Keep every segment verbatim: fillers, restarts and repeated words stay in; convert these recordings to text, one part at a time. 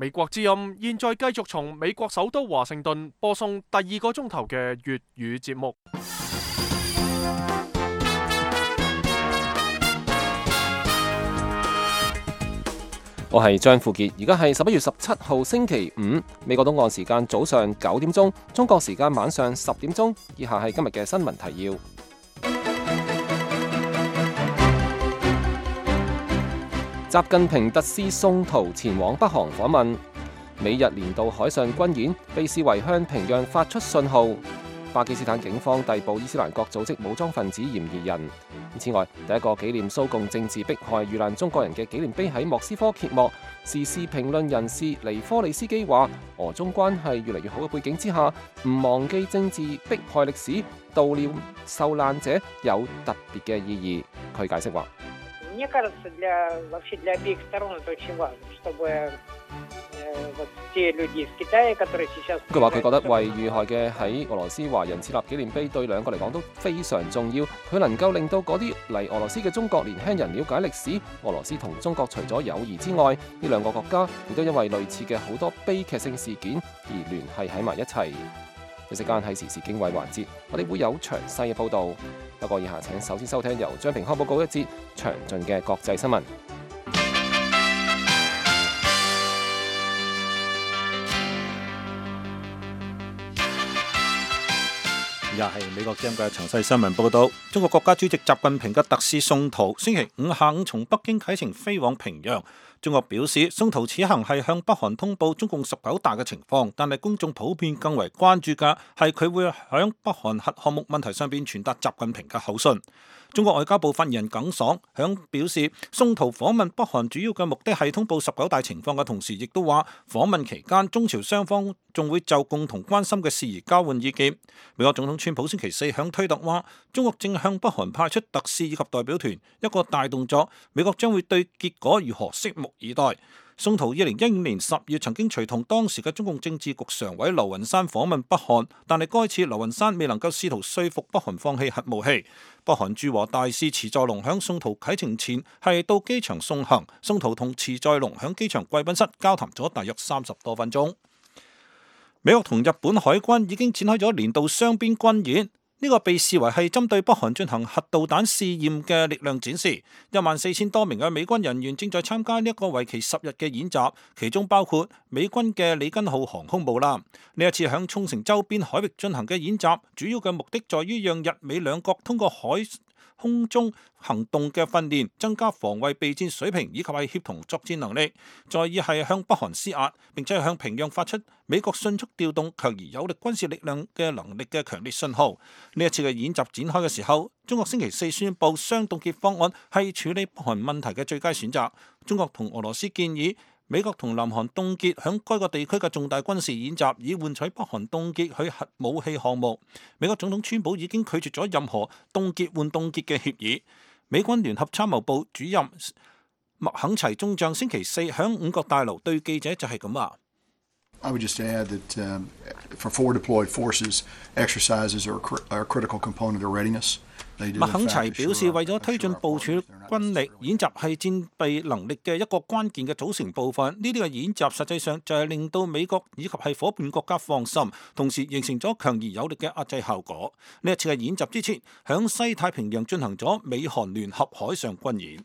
美國之音現在繼續從美國首都華盛頓播送第二個鐘頭嘅粵語節目。我係張富傑，而家係十一月十七號星期五，美國東岸時間早上九點鐘，中國時間晚上十點鐘。以下係今日嘅新聞提要。習近平特使宋濤前往北韓訪問，美日年度海上軍演被視為向平壤發出信號。巴基斯坦警方逮捕伊斯蘭國組織武裝分子嫌疑人。此外，第一個紀念蘇共政治迫害遇難中國人嘅紀念碑喺莫斯科揭幕。時事評論人士尼科利斯基話：俄中關係越嚟越好嘅背景之下，唔忘記政治迫害歷史，悼念受難者有特別嘅意義。佢解釋話：мне кажется, для вообще для обеих сторон это очень важно, чтобы вот те люди из Китая, которые сейчас。佢話佢覺得為遇害嘅喺俄羅斯華人設立紀念碑，對兩個嚟講都非常重要。佢能夠令到嗰啲嚟俄羅斯嘅中國年輕人了解歷史。俄羅斯同中國除咗友誼之外，呢兩個國家亦都因為類似嘅好多悲劇性事件而聯繫喺埋一齊。呢時間係時事經緯環節，我哋會有詳細嘅報導。不過以下請首先收聽由張平康報告一節詳盡嘅國際新聞。又係美國之音嘅詳細新聞報道。中國國家主席習近平嘅特使宋濤星期五下午從北京啟程飛往平壤。中國表示，宋濤此行係向北韓通報中共十九大嘅情況，但係公眾普遍更為關注嘅係佢會響北韓核項目問題上邊傳達習近平嘅口信。中國外交部發言人耿爽響表示，宋濤訪問北韓主要嘅目的係通報十九大情況嘅同時，亦都話訪問期間中朝雙方仲會就共同關心嘅事宜交換意見。美國總統川普星期四響推特話，中國正向北韓派出特使以及代表團，一個大動作，美國將會對結果如何拭目以待。宋濤二零一五年十月曾經隨同當時嘅中共政治局常委劉雲山訪問北韓，但係該次劉雲山未能夠試圖說服北韓放棄核武器。北韓駐華大使池在龍響宋濤啟程前係到機場送行，宋濤同池在龍響機場貴賓室交談咗大約三十多分鐘。美國同日本海軍已經展開咗年度雙邊軍演。呢個被視為係針對北韓進行核導彈試驗嘅力量展示，一萬四千多名嘅美軍人員正在參加呢一個為期十日嘅演習，其中包括美軍嘅里根號航空母艦。呢一次響沖繩周邊海域進行嘅演習，主要嘅目的在於讓日美兩國通過海空中行動嘅訓練，增加防衛備戰水平以及係協同作戰能力。再以係向北韓施壓，並且向平壤發出美國迅速調動強而有力軍事力量嘅能力嘅強烈信號。呢一次嘅演習展開嘅時候，中國星期四宣布雙凍結方案係處理北韓問題嘅最佳選擇。中國同俄羅斯建議美國同南韓凍結響該個地區嘅重大軍事演習，以換取北韓凍結佢核武器項目。美國總統川普已經拒絕咗任何凍結換凍結嘅協議。美軍聯合參謀部主任麥肯齊中將星期四響五角大樓對記者就係咁話。I would just add that um, for forward deployed forces, exercises are a critical component of readiness. 麥肯齊表示，為咗推進部署軍力，演習係戰備能力嘅一個關鍵嘅組成部分。呢啲嘅演習實際上就係令到美國以及係夥伴國家放心，同時形成咗強而有力嘅壓制效果。呢一次嘅演習之前，響西太平洋進行咗美韓聯合海上軍演。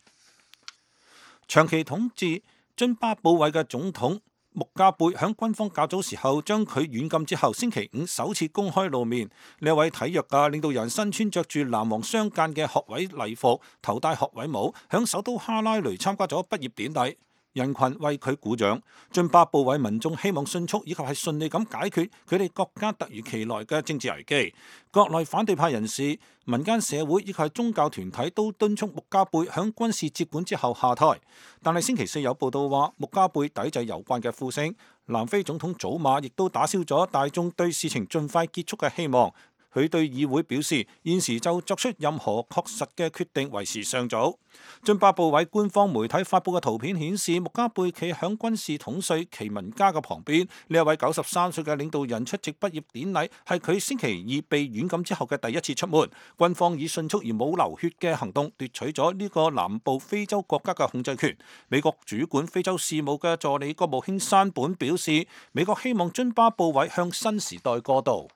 長期統治津巴布韋嘅總統穆加貝響軍方較早時候將佢軟禁之後，星期五首次公開露面。呢一位體育嘅領導人身穿着住藍黃相間嘅學位禮服，頭戴學位帽，響首都哈拉雷參加咗畢業典禮。人群為佢鼓掌。津巴布韋民眾希望迅速以及係順利咁解決佢哋國家突如其來嘅政治危機。國內反對派人士、民間社會以及係宗教團體都敦促穆加貝響軍事接管之後下台。但係星期四有報道話，穆加貝抵制有關嘅呼聲。南非總統祖馬亦都打消咗大眾對事情盡快結束嘅希望。佢對議會表示，現時就作出任何確實嘅決定為時尚早。津巴布韋官方媒體發布嘅圖片顯示，穆加貝企響軍事統帥奇文加嘅旁邊。呢一位九十三歲嘅領導人出席畢業典禮，係佢星期二被軟禁之後嘅第一次出門。軍方以迅速而冇流血嘅行動奪取咗呢個南部非洲國家嘅控制權。美國主管非洲事務嘅助理國務卿山本表示，美國希望津巴布韋向新時代過渡。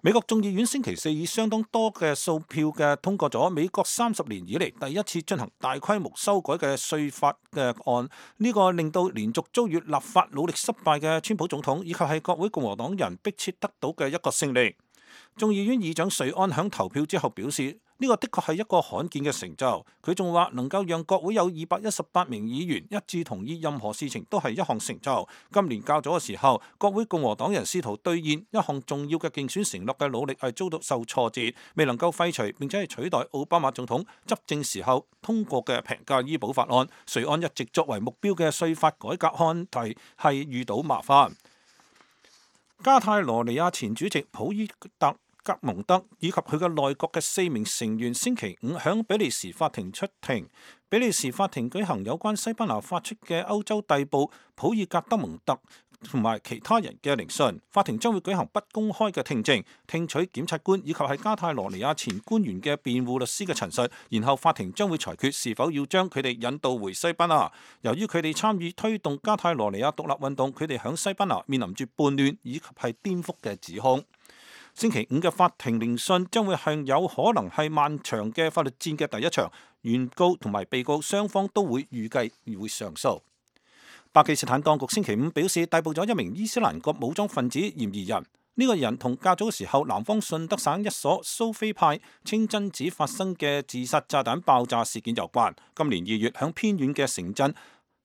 美國眾議院星期四以相當多嘅數票嘅通過咗美國三十年以嚟第一次進行大規模修改嘅稅法嘅案，呢個令到連續遭遇立法努力失敗嘅川普總統以及係國會共和黨人迫切得到嘅一個勝利。眾議院議長瑞安響投票之後表示，呢個的確係一個罕見嘅成就。佢仲話能夠讓國會有二百一十八名議員一致同意任何事情都係一項成就。今年較早嘅時候，國會共和黨人試圖兌現一項重要嘅競選承諾嘅努力係遭到受挫折，未能夠廢除並且係取代奧巴馬總統執政時候通過嘅平價醫保法案。瑞安一直作為目標嘅稅法改革案題係遇到麻煩。加泰羅尼亞前主席普伊特格蒙德以及佢嘅內閣嘅四名成員星期五響比利時法庭出庭。比利時法庭舉行有關西班牙發出嘅歐洲逮捕普爾格德蒙特同埋其他人嘅聆訊。法庭將會舉行不公開嘅聽證，聽取檢察官以及係加泰羅尼亞前官員嘅辯護律師嘅陳述，然後法庭將會裁決是否要將佢哋引渡回西班牙。由於佢哋參與推動加泰羅尼亞獨立運動，佢哋響西班牙面臨住叛亂以及係顛覆嘅指控。星期五嘅法庭聆訊將會係有可能係漫長嘅法律戰嘅第一場，原告同埋被告雙方都會預計會上訴。巴基斯坦當局星期五表示逮捕咗一名伊斯蘭國武裝分子嫌疑人，呢、這個人同較早嘅時候南方順德省一所蘇菲派清真寺發生嘅自殺炸彈爆炸事件有關。今年二月響偏遠嘅城鎮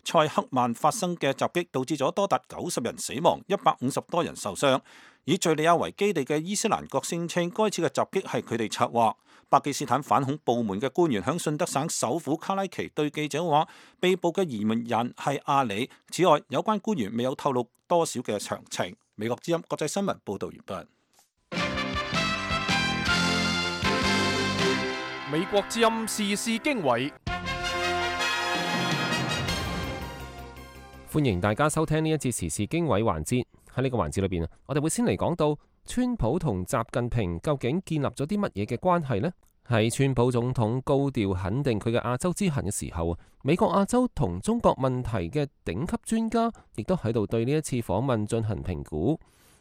塞克曼發生嘅襲擊，導致咗多達九十人死亡，一百五十多人受傷。以敘利亞為基地嘅伊斯蘭國聲稱，該次嘅襲擊係佢哋策劃。巴基斯坦反恐部門嘅官員響順德省首府卡拉奇對記者話，被捕嘅疑問人係阿里。此外，有關官員未有透露多少嘅詳情。美國之音國際新聞報道完畢。美國之音時事經緯，歡迎大家收聽呢一節時事經緯環節。喺呢個環節裏邊啊，我哋會先嚟講到川普同習近平究竟建立咗啲乜嘢嘅關係呢？喺川普總統高調肯定佢嘅亞洲之行嘅時候啊，美國亞洲同中國問題嘅頂級專家亦都喺度對呢一次訪問進行評估。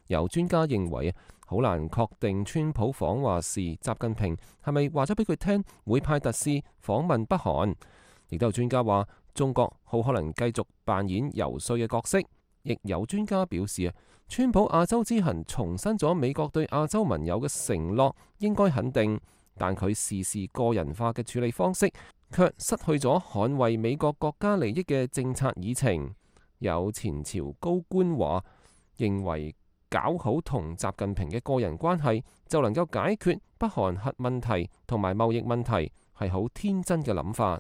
有專家認為啊，好難確定川普訪華時習近平係咪話咗俾佢聽會派特使訪問北韓。亦都有專家話中國好可能繼續扮演游說嘅角色。亦有專家表示啊，川普亞洲之行重申咗美國對亞洲盟友嘅承諾，應該肯定，但佢事事個人化嘅處理方式，卻失去咗捍衛美國國家利益嘅政策議程。有前朝高官話，認為搞好同習近平嘅個人關係，就能夠解決北韓核問題同埋貿易問題，係好天真嘅諗法。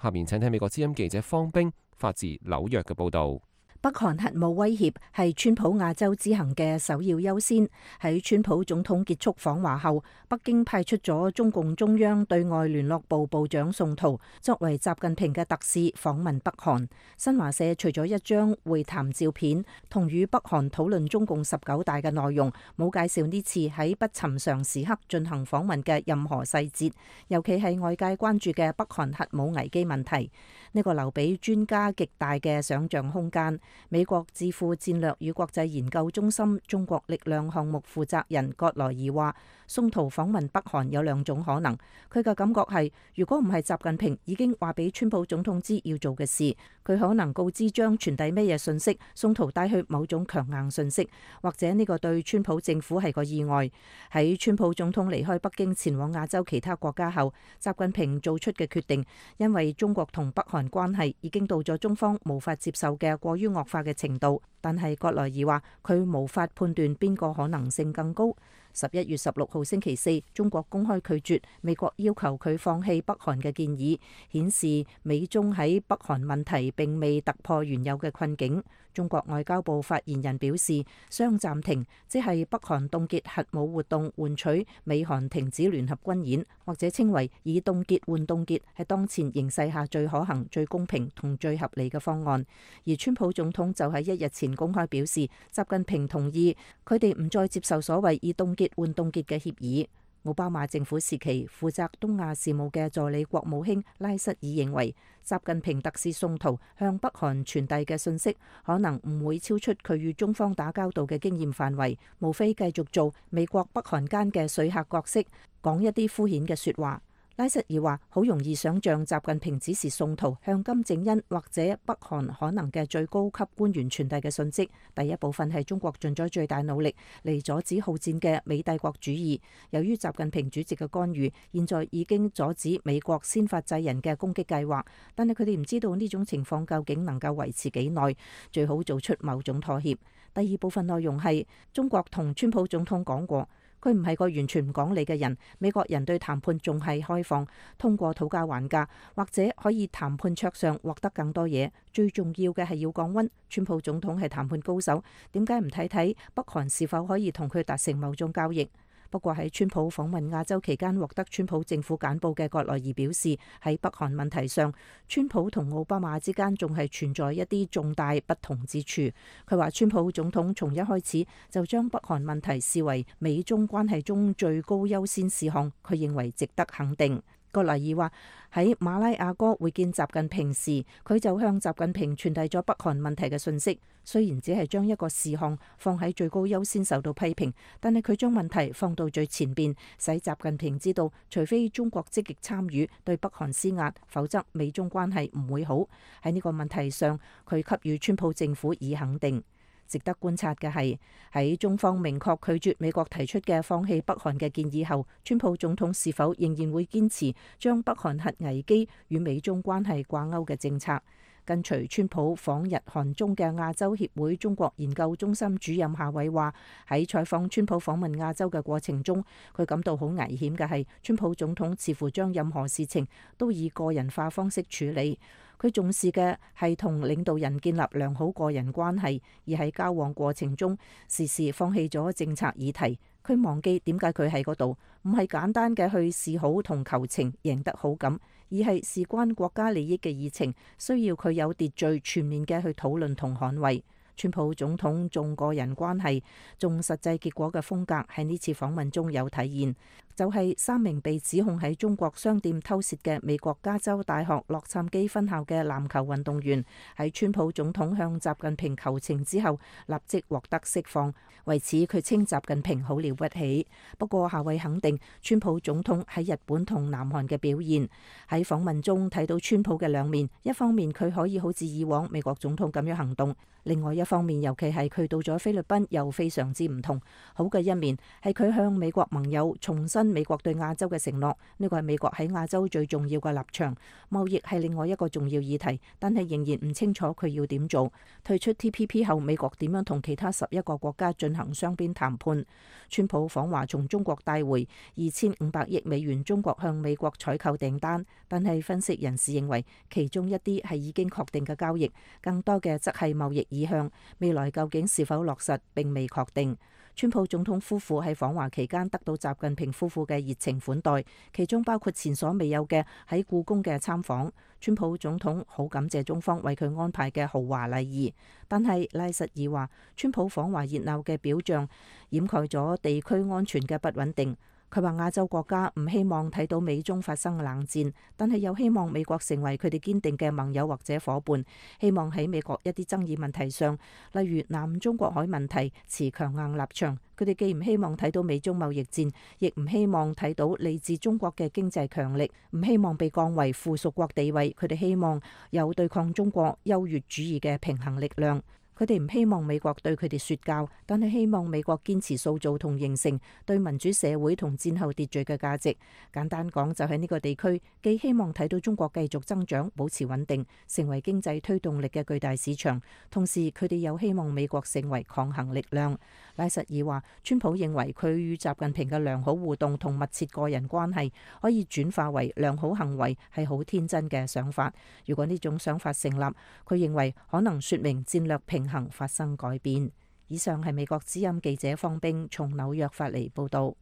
下面請聽美國之音記者方冰發自紐約嘅報導。北韓核武威脅係川普亞洲之行嘅首要優先。喺川普總統結束訪華後，北京派出咗中共中央對外聯絡部部長宋濤作為習近平嘅特使訪問北韓。新華社除咗一張會談照片同與北韓討論中共十九大嘅內容，冇介紹呢次喺不尋常時刻進行訪問嘅任何細節，尤其係外界關注嘅北韓核武危機問題。呢、這個留俾專家極大嘅想像空間。美國智庫戰略與國際研究中心中國力量項目負責人葛萊爾話，宋濤訪問北韓有兩種可能。佢嘅感覺係，如果唔係習近平已經話俾川普總統知要做嘅事，佢可能告知將傳遞咩嘢信息，宋濤帶去某種強硬信息，或者呢個對川普政府係個意外。喺川普總統離開北京前往亞洲其他國家後，習近平做出嘅決定，因為中國同北韓關係已經到咗中方無法接受嘅過於惡化嘅程度，但係葛萊爾話佢無法判斷邊個可能性更高。十一月十六號星期四，中國公開拒絕美國要求佢放棄北韓嘅建議，顯示美中喺北韓問題並未突破原有嘅困境。中國外交部發言人表示，雙暫停即係北韓凍結核武活動，換取美韓停止聯合軍演，或者稱為以凍結換凍結，係當前形勢下最可行、最公平同最合理嘅方案。而川普總統就喺一日前公開表示，習近平同意佢哋唔再接受所謂以凍結換凍結嘅協議。奧巴馬政府時期負責東亞事務嘅助理國務卿拉瑟爾認為，習近平特使宋濤向北韓傳遞嘅信息可能唔會超出佢與中方打交道嘅經驗範圍，無非繼續做美國北韓間嘅說客角色，講一啲敷衍嘅說話。拉瑟爾話：好容易想像習近平指示宋濤向金正恩或者北韓可能嘅最高級官員傳遞嘅信息。第一部分係中國盡咗最大努力嚟阻止好戰嘅美帝國主義。由於習近平主席嘅干預，現在已經阻止美國先發制人嘅攻擊計劃，但係佢哋唔知道呢種情況究竟能夠維持幾耐，最好做出某種妥協。第二部分內容係中國同川普總統講過，佢唔係個完全唔講理嘅人，美國人對談判仲係開放，通過討價還價或者可以談判桌上獲得更多嘢。最重要嘅係要降溫。川普總統係談判高手，點解唔睇睇北韓是否可以同佢達成某種交易？不過喺川普訪問亞洲期間獲得川普政府簡報嘅葛萊儀表示，喺北韓問題上，川普同奧巴馬之間仲係存在一啲重大不同之處。佢話川普總統從一開始就將北韓問題視為美中關係中最高優先事項，佢認為值得肯定。葛萊儀話喺馬拉亞哥會見習近平時，佢就向習近平傳遞咗北韓問題嘅信息。雖然只係將一個事項放喺最高優先受到批評，但係佢將問題放到最前邊，使習近平知道，除非中國積極參與對北韓施壓，否則美中關係唔會好。喺呢個問題上，佢給予川普政府以肯定。值得觀察嘅係，喺中方明確拒絕美國提出嘅放棄北韓嘅建議後，川普總統是否仍然會堅持將北韓核危機與美中關係掛鈎嘅政策？跟隨川普訪日韓中嘅亞洲協會中國研究中心主任夏偉話：喺採訪川普訪問亞洲嘅過程中，佢感到好危險嘅係，川普總統似乎將任何事情都以個人化方式處理。佢重視嘅係同領導人建立良好個人關係，而喺交往過程中，時時放棄咗政策議題。佢忘記點解佢喺嗰度，唔係簡單嘅去示好同求情贏得好感，而係事關國家利益嘅議程，需要佢有秩序、全面嘅去討論同捍衛。川普總統重個人關係、重實際結果嘅風格喺呢次訪問中有體現，就係三名被指控喺中國商店偷竊嘅美國加州大學洛杉磯分校嘅籃球運動員，喺川普總統向習近平求情之後，立即獲得釋放。為此，佢稱習近平好了不起。不過，夏偉肯定川普總統喺日本同南韓嘅表現。喺訪問中睇到川普嘅兩面，一方面佢可以好似以往美國總統咁樣行動，另外一方面，尤其係佢到咗菲律賓又非常之唔同。好嘅一面係佢向美國盟友重申美國對亞洲嘅承諾，呢個係美國喺亞洲最重要嘅立場。貿易係另外一個重要議題，但係仍然唔清楚佢要點做。退出 T P P 後，美國點樣同其他十一個國家進行雙邊談判？川普訪華從中國帶回二千五百億美元中國向美國採購訂單，但係分析人士認為其中一啲係已經確定嘅交易，更多嘅則係貿易意向，未來究竟是否落實並未確定。川普總統夫婦喺訪華期間得到習近平夫婦嘅熱情款待，其中包括前所未有嘅喺故宮嘅參訪。川普總統好感謝中方為佢安排嘅豪華禮儀，但係拉什爾話，川普訪華熱鬧嘅表象掩蓋咗地區安全嘅不穩定。佢話亞洲國家唔希望睇到美中發生冷戰，但係又希望美國成為佢哋堅定嘅盟友或者夥伴，希望喺美國一啲爭議問題上，例如南中國海問題持強硬立場。佢哋既唔希望睇到美中貿易戰，亦唔希望睇到嚟自中國嘅經濟強力，唔希望被降為附屬國地位。佢哋希望有對抗中國優越主義嘅平衡力量。佢哋唔希望美國對佢哋說教，但係希望美國堅持塑造同形成對民主社會同戰後秩序嘅價值。簡單講，就喺呢個地區，既希望睇到中國繼續增長、保持穩定，成為經濟推動力嘅巨大市場，同時佢哋又希望美國成為抗衡力量。拉實爾話，川普認為佢與習近平嘅良好互動同密切個人關係可以轉化為良好行為，係好天真嘅想法。如果呢種想法成立，佢認為可能說明戰略平衡發生改變。以上係美國之音記者方冰從紐約發嚟報道。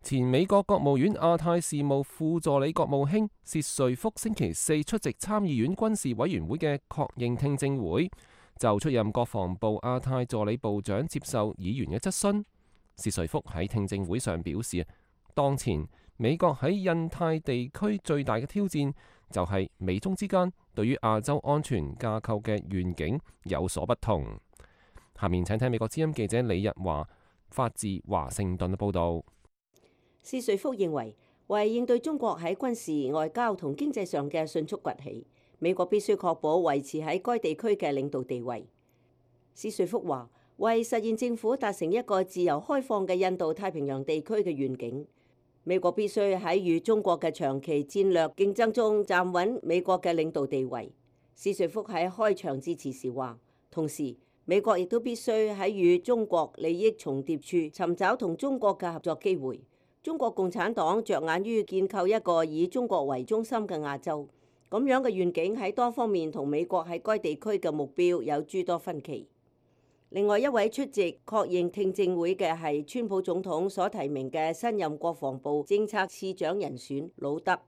前美國國務院亞太事務副助理國務卿薛瑞福星期四出席參議院軍事委員會嘅確認聽證會，就出任國防部亞太助理部長接受議員嘅質詢。薛瑞福喺聽證會上表示，當前美國喺印太地區最大嘅挑戰就係美中之間對於亞洲安全架構嘅願景有所不同。下面請聽美國之音記者李日華發自華盛頓嘅報導。薛瑞福認為，為應對中國喺軍事、外交同經濟上嘅迅速崛起，美國必須確保維持喺該地區嘅領導地位。薛瑞福話，為實現政府達成一個自由開放嘅印度太平洋地區嘅願景，美國必須喺與中國嘅長期戰略競爭中站穩美國嘅領導地位。薛瑞福喺開場致辭時話，同時美國亦都必須喺與中國利益重疊處尋找同中國嘅合作機會。中國共產黨着眼於建構一個以中國為中心嘅亞洲，咁樣嘅願景喺多方面同美國喺該地區嘅目標有諸多分歧。另外一位出席確認聽證會嘅係川普總統所提名嘅新任國防部政策次長人選魯德。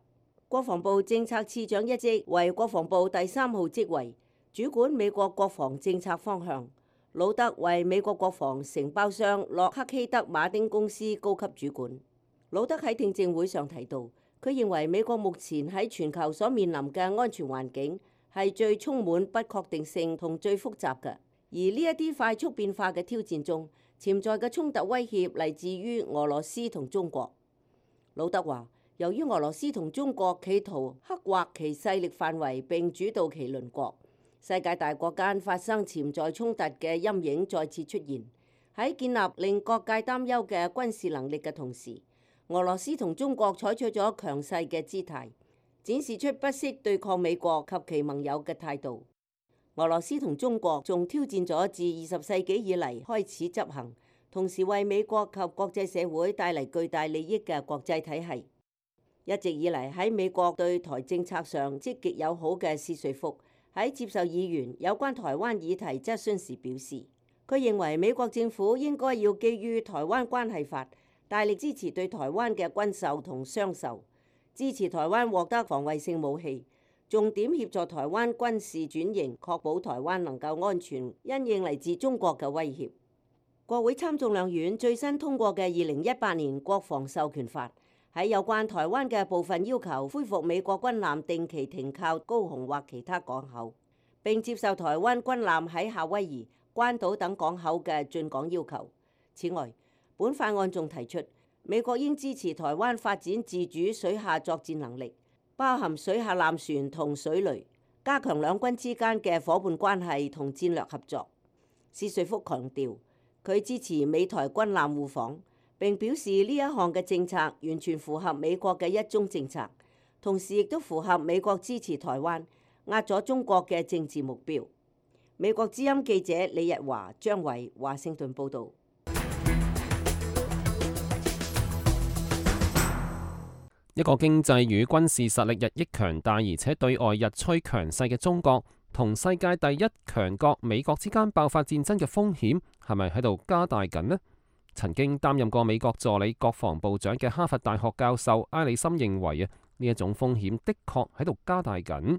國防部政策次長一職為國防部第三號職位，主管美國國防政策方向。魯德為美國國防承包商洛克希德馬丁公司高級主管。魯德喺聽證會上提到，佢認為美國目前喺全球所面臨嘅安全環境係最充滿不確定性同最複雜嘅，而呢一啲快速變化嘅挑戰中，潛在嘅衝突威脅嚟自於俄羅斯同中國。魯德話，由於俄羅斯同中國企圖刻畫其勢力範圍並主導其鄰國，世界大國間發生潛在衝突嘅陰影再次出現。喺建立令各界擔憂嘅軍事能力嘅同時，俄羅斯同中國採取咗強勢嘅姿態，展示出不惜對抗美國及其盟友嘅態度。俄羅斯同中國仲挑戰咗自二十世紀以嚟開始執行，同時為美國及國際社會帶嚟巨大利益嘅國際體系。一直以嚟喺美國對台政策上積極友好嘅薛瑞福喺接受議員有關台灣議題質詢時表示，佢認為美國政府應該要基於台灣關係法，大力支持對台灣嘅軍售同商售，支持台灣獲得防衛性武器，重點協助台灣軍事轉型，確保台灣能夠安全因應嚟自中國嘅威脅。國會參眾兩院最新通過嘅二零一八年國防授權法，喺有關台灣嘅部分要求恢復美國軍艦定期停靠高雄或其他港口，並接受台灣軍艦喺夏威夷、關島等港口嘅進港要求。此外，本法案仲提出，美國應支持台灣發展自主水下作戰能力，包含水下艦船同水雷，加強兩軍之間嘅夥伴關係同戰略合作。薛瑞福強調，佢支持美台軍艦互訪，並表示呢一項嘅政策完全符合美國嘅一中政策，同時亦都符合美國支持台灣、壓咗中國嘅政治目標。美國之音記者李日華、張偉華盛頓報導。一個經濟與軍事實力日益強大，而且對外日趨強勢嘅中國，同世界第一強國美國之間爆發戰爭嘅風險係咪喺度加大緊呢？曾經擔任過美國助理國防部長嘅哈佛大學教授埃里森認為啊，呢一種風險的確喺度加大緊。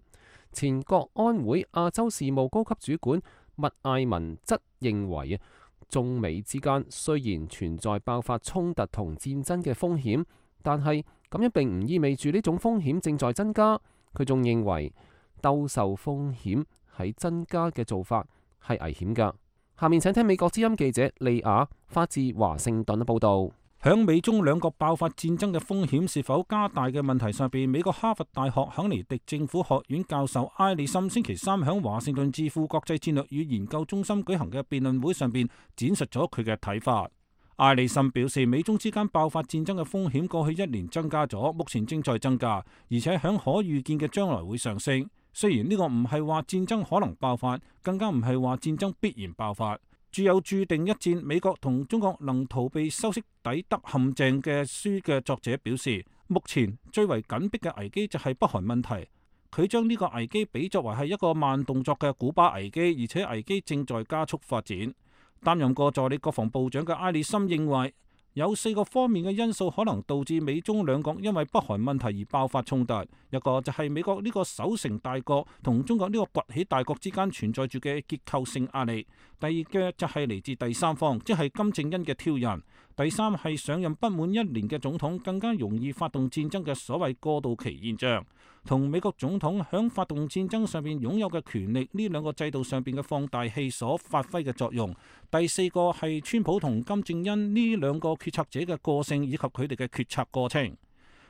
前國安會亞洲事務高級主管麥艾文則認為啊，中美之間雖然存在爆發衝突同戰爭嘅風險，但係咁樣並唔意味住呢種風險正在增加。佢仲認為兜售風險喺增加嘅做法係危險㗎。下面請聽美國之音記者利亞發自華盛頓嘅報導。響美中兩國爆發戰爭嘅風險是否加大嘅問題上邊，美國哈佛大學肯尼迪政府學院教授埃里森星期三響華盛頓智庫國際戰略與研究中心舉行嘅辯論會上邊展述咗佢嘅睇法。埃里森表示，美中之間爆發戰爭嘅風險過去一年增加咗，目前正在增加，而且響可預見嘅將來會上升。雖然呢個唔係話戰爭可能爆發，更加唔係話戰爭必然爆發。著有注定一戰美國同中國能逃避修昔底德陷阱嘅書嘅作者表示，目前最為緊迫嘅危機就係北韓問題。佢將呢個危機比作為係一個慢動作嘅古巴危機，而且危機正在加速發展。擔任過助理國防部長嘅埃里森認為，有四個方面嘅因素可能導致美中兩國因為北韓問題而爆發衝突。一個就係美國呢個守成大國同中國呢個崛起大國之間存在住嘅結構性壓力。第二嘅就係嚟自第三方，即係金正恩嘅挑釁。第三係上任不滿一年嘅總統更加容易發動戰爭嘅所謂過渡期現象，同美國總統響發動戰爭上邊擁有嘅權力呢兩個制度上邊嘅放大器所發揮嘅作用。第四個係川普同金正恩呢兩個決策者嘅個性以及佢哋嘅決策過程。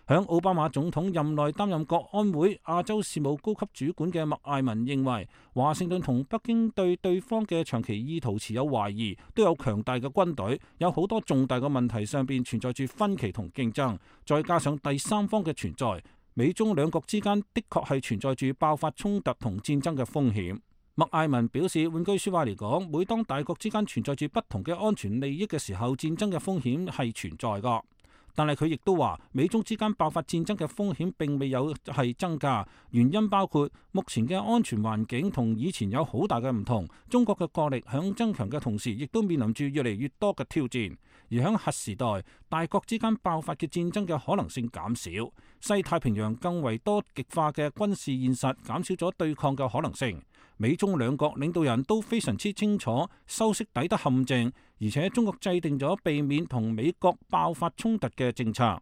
響奧巴馬總統任內擔任國安會亞洲事務高級主管嘅麥艾文認為，華盛頓同北京對對方嘅長期意圖持有懷疑，都有強大嘅軍隊，有好多重大嘅問題上邊存在住分歧同競爭，再加上第三方嘅存在，美中兩國之間的確係存在住爆發衝突同戰爭嘅風險。麥艾文表示，換句說話嚟講，每當大國之間存在住不同嘅安全利益嘅時候，戰爭嘅風險係存在噶。但係佢亦都話，美中之間爆發戰爭嘅風險並未有係增加，原因包括目前嘅安全環境同以前有好大嘅唔同，中國嘅國力響增強嘅同時，亦都面臨住越嚟越多嘅挑戰。而響核時代，大國之間爆發嘅戰爭嘅可能性減少，西太平洋更為多極化嘅軍事現實減少咗對抗嘅可能性。美中兩國領導人都非常之清楚修昔底德陷阱，而且中國制定咗避免同美國爆發衝突嘅政策。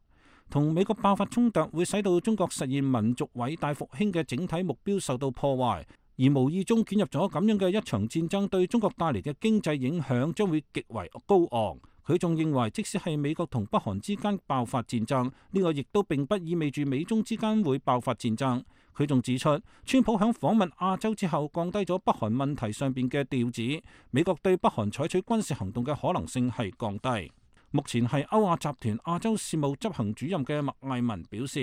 同美國爆發衝突會使到中國實現民族偉大復興嘅整體目標受到破壞，而無意中捲入咗咁樣嘅一場戰爭，對中國帶嚟嘅經濟影響將會極為高昂。佢仲認為，即使係美國同北韓之間爆發戰爭，呢個亦都並不意味住美中之間會爆發戰爭。佢仲指出，川普響訪問亞洲之後，降低咗北韓問題上邊嘅調子，美國對北韓採取軍事行動嘅可能性係降低。目前係歐亞集團亞洲事務執行主任嘅麥艾文表示，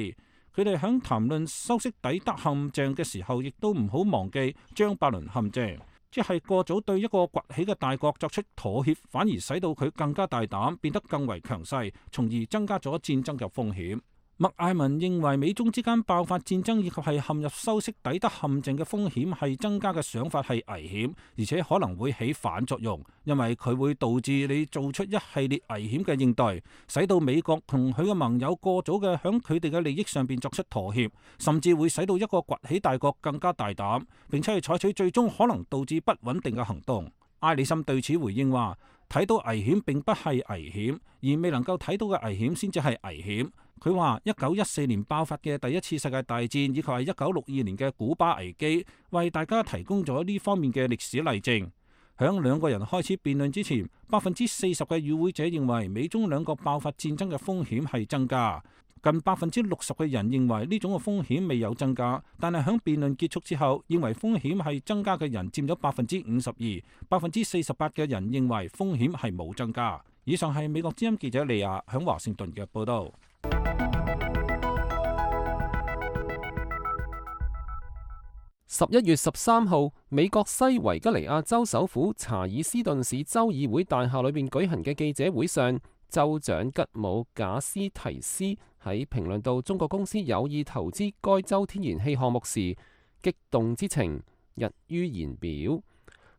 佢哋響談論修昔底德陷阱嘅時候，亦都唔好忘記張伯倫陷阱，即係過早對一個崛起嘅大國作出妥協，反而使到佢更加大膽，變得更為強勢，從而增加咗戰爭嘅風險。麥艾文認為美中之間爆發戰爭以及係陷入修昔底德陷阱嘅風險係增加嘅想法係危險，而且可能會起反作用，因為佢會導致你做出一系列危險嘅應對，使到美國同佢嘅盟友過早嘅響佢哋嘅利益上邊作出妥協，甚至會使到一個崛起大國更加大膽，並且係採取最終可能導致不穩定嘅行動。埃里森對此回應話，睇到危險並不係危險，而未能夠睇到嘅危險先至係危險。佢話一九一四年爆發嘅第一次世界大戰以及係一九六二年嘅古巴危機，為大家提供咗呢方面嘅歷史例證。響兩個人開始辯論之前，百分之四十嘅與會者認為美中兩國爆發戰爭嘅風險係增加，近百分之六十嘅人認為呢種嘅風險未有增加。但係響辯論結束之後，認為風險係增加嘅人佔咗百分之五十二，百分之四十八嘅人認為風險係冇增加。以上係美國之音記者利亞響華盛頓嘅報道。十一月十三號，美國西維吉尼亞州首府查爾斯頓市州議會大廈裏面舉行嘅記者會上，州長吉姆賈斯提斯喺評論到中國公司有意投資該州天然氣項目時，激動之情溢於言表。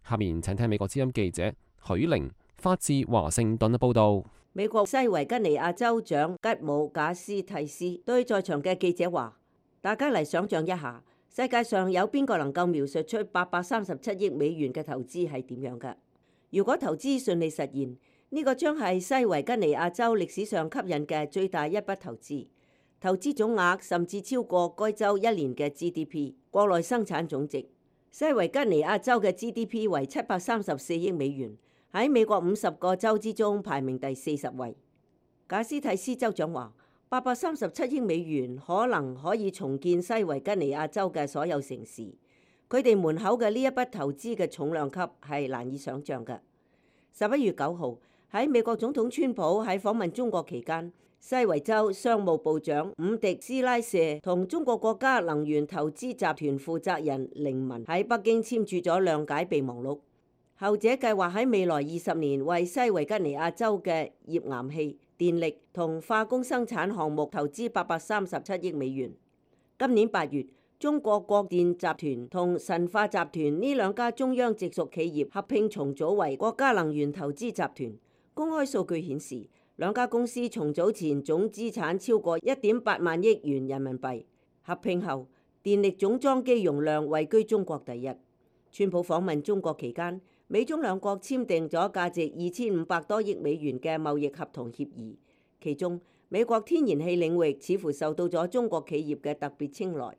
下面請聽美國之音記者許玲發自華盛頓嘅報道。美國西維吉尼亞州長吉姆賈斯提斯對在場嘅記者話：大家嚟想象一下，世界上有邊個能夠描述出八百三十七億美元嘅投資係點樣㗎？如果投資順利實現，呢個將係西維吉尼亞州歷史上吸引嘅最大一筆投資，投資總額甚至超過該州一年嘅 G D P 國內生產總值。西維吉尼亞州嘅 G D P 為七百三十四億美元，喺美國五十個州之中排名第四十位。賈斯蒂斯州長話，八百三十七億美元可能可以重建西維吉尼亞州嘅所有城市。佢哋門口嘅呢一筆投資嘅重量級係難以想像嘅。十一月九號喺美國總統川普喺訪問中國期間，西維州商務部長伍迪斯拉舍同中國國家能源投資集團負責人凌文喺北京簽署咗諒解備忘錄。後者計劃喺未來二十年為西維吉尼亞州嘅頁岩氣、電力同化工生產項目投資八百三十七億美元。今年八月，中國國電集團同神華集團呢兩家中央直屬企業合併重組為國家能源投資集團。公開數據顯示，兩家公司重組前總資產超過一點八萬億元人民幣，合併後電力總裝機容量位居中國第一。川普訪問中國期間，美中兩國簽訂咗價值二千五百多億美元嘅貿易合同協議，其中美國天然氣領域似乎受到咗中國企業嘅特別青睞。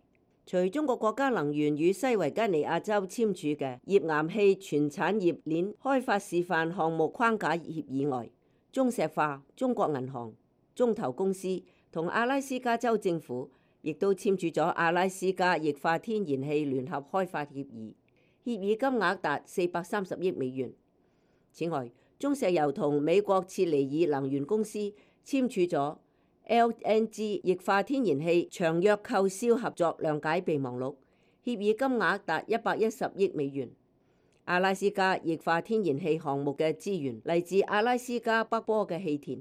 除中國國家能源與西維吉尼亞州簽署嘅頁岩氣全產業鏈開發示範項目框架協議外，中石化、中國銀行、中投公司同阿拉斯加州政府亦都簽署咗阿拉斯加液化天然氣聯合開發協議，協議金額達四百三十億美元。此外，中石油同美國切尼爾能源公司簽署咗 L N G 液化天然氣長約購銷合作諒解備忘錄，協議金額達一百一十億美元。阿拉斯加液化天然氣項目嘅資源嚟自阿拉斯加北坡嘅氣田。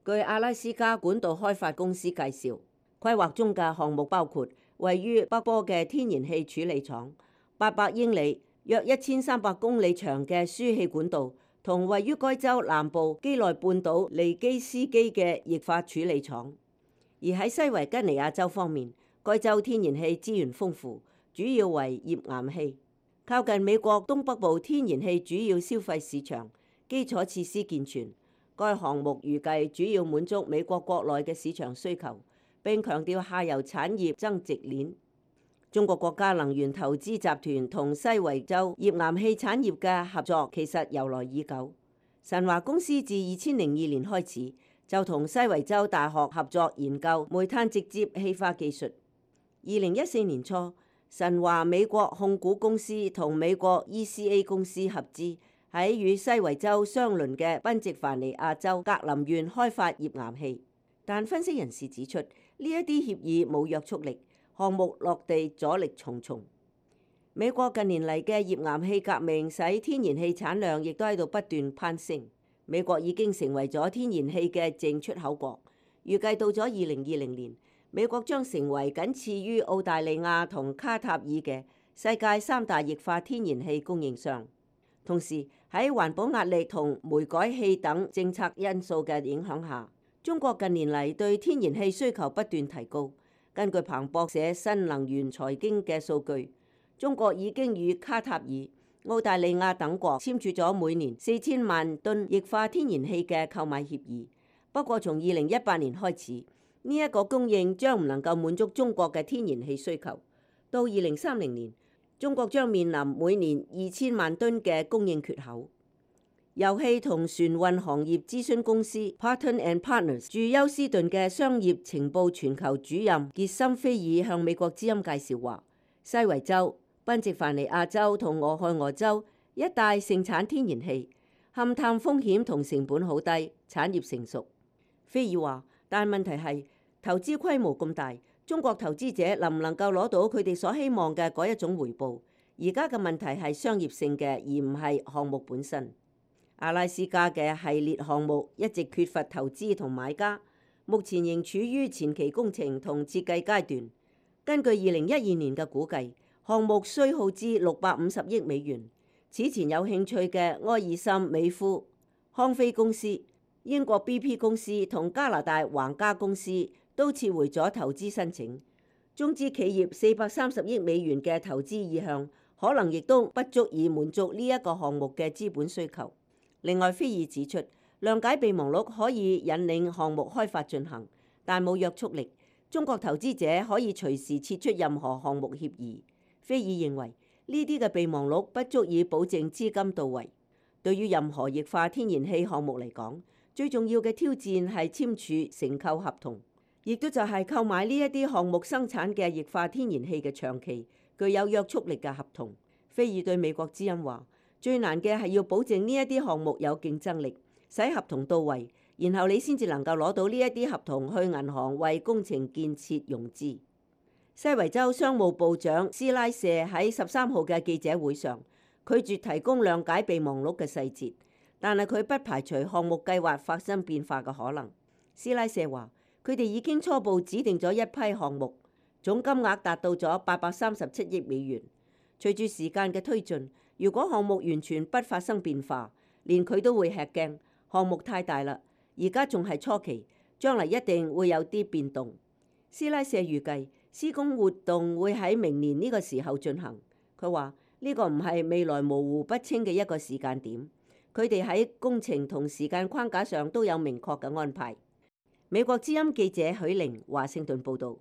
據阿拉斯加管道開發公司介紹，規劃中嘅項目包括位於北坡嘅天然氣處理廠、八百英里約一千三百公里長嘅輸氣管道，同位於該州南部基內半島尼基斯基嘅液化處理廠。而喺西維吉尼亞州方面，該州天然氣資源豐富，主要為頁岩氣，靠近美國東北部天然氣主要消費市場，基礎設施健全。該項目預計主要滿足美國國內嘅市場需求，並強調下游產業增值鏈。中國國家能源投資集團同西維州頁岩氣產業嘅合作其實由來已久。神華公司自二千零二年開始就同西維州大學合作研究煤炭直接氣化技術。二零一四年初，神華美國控股公司同美國 E C A 公司合資喺與西維州相鄰嘅賓夕凡尼亞州格林縣開發頁岩氣。但分析人士指出，呢一啲協議冇約束力，項目落地阻力重重。美國近年嚟嘅頁岩氣革命使天然氣產量亦都喺度不斷攀升。美國已經成為咗天然氣嘅淨出口國，預計到咗二零二零年，美國將成為僅次於澳大利亞同卡塔爾嘅世界三大液化天然氣供應商。同時喺環保壓力同煤改氣等政策因素嘅影響下，中國近年嚟對天然氣需求不斷提高。根據彭博社新能源財經嘅數據，中國已經與卡塔爾、澳大利亞等國簽署咗每年四千萬噸液化天然氣嘅購買協議。不過，從二零一八年開始，呢、這、一個供應將唔能夠滿足中國嘅天然氣需求。到二零三零年，中國將面臨每年二千萬噸嘅供應缺口。油氣同船運行業諮詢公司 Paton and Partners 駐休斯頓嘅商業情報全球主任傑森菲爾向美國之音介紹話，西維州、賓夕凡尼亞州同俄亥俄州一帶盛產天然氣，勘探風險同成本好低，產業成熟。菲爾話，但問題係投資規模咁大，中國投資者能唔能夠攞到佢哋所希望嘅嗰一種回報？而家嘅問題係商業性嘅，而唔係項目本身。阿拉斯加嘅系列項目一直缺乏投資同買家，目前仍處於前期工程同設計階段。根據二零一二年嘅估計，項目需耗資六百五十億美元。此前有興趣嘅埃爾森美孚、康菲公司、英國 B P 公司同加拿大皇家公司都撤回咗投資申請。中資企業四百三十億美元嘅投資意向，可能亦都不足以滿足呢一個項目嘅資本需求。另外，菲爾指出，諒解備忘錄可以引領項目開發進行，但冇約束力。中國投資者可以隨時撤出任何項目協議。菲爾認為呢啲嘅備忘錄不足以保證資金到位。對於任何液化天然氣項目嚟講，最重要嘅挑戰係簽署承購合同，亦都就係購買呢一啲項目生產嘅液化天然氣嘅長期具有約束力嘅合同。菲爾對美國之音話：最難嘅係要保證呢一啲項目有競爭力，使合同到位，然後你先至能夠攞到呢一啲合同去銀行為工程建設融資。西維州商務部長斯拉舍喺十三號嘅記者會上拒絕提供諒解備忘錄嘅細節，但係佢不排除項目計劃發生變化嘅可能。斯拉舍話：佢哋已經初步指定咗一批項目，總金額達到咗八百三十七億美元。隨住時間嘅推進，如果項目完全不發生變化，連佢都會吃驚。項目太大啦，而家仲係初期，將來一定會有啲變動。斯拉舍預計施工活動會喺明年呢個時候進行。佢話呢個唔係未來模糊不清嘅一個時間點，佢哋喺工程同時間框架上都有明確嘅安排。美國之音記者許玲華盛頓報導。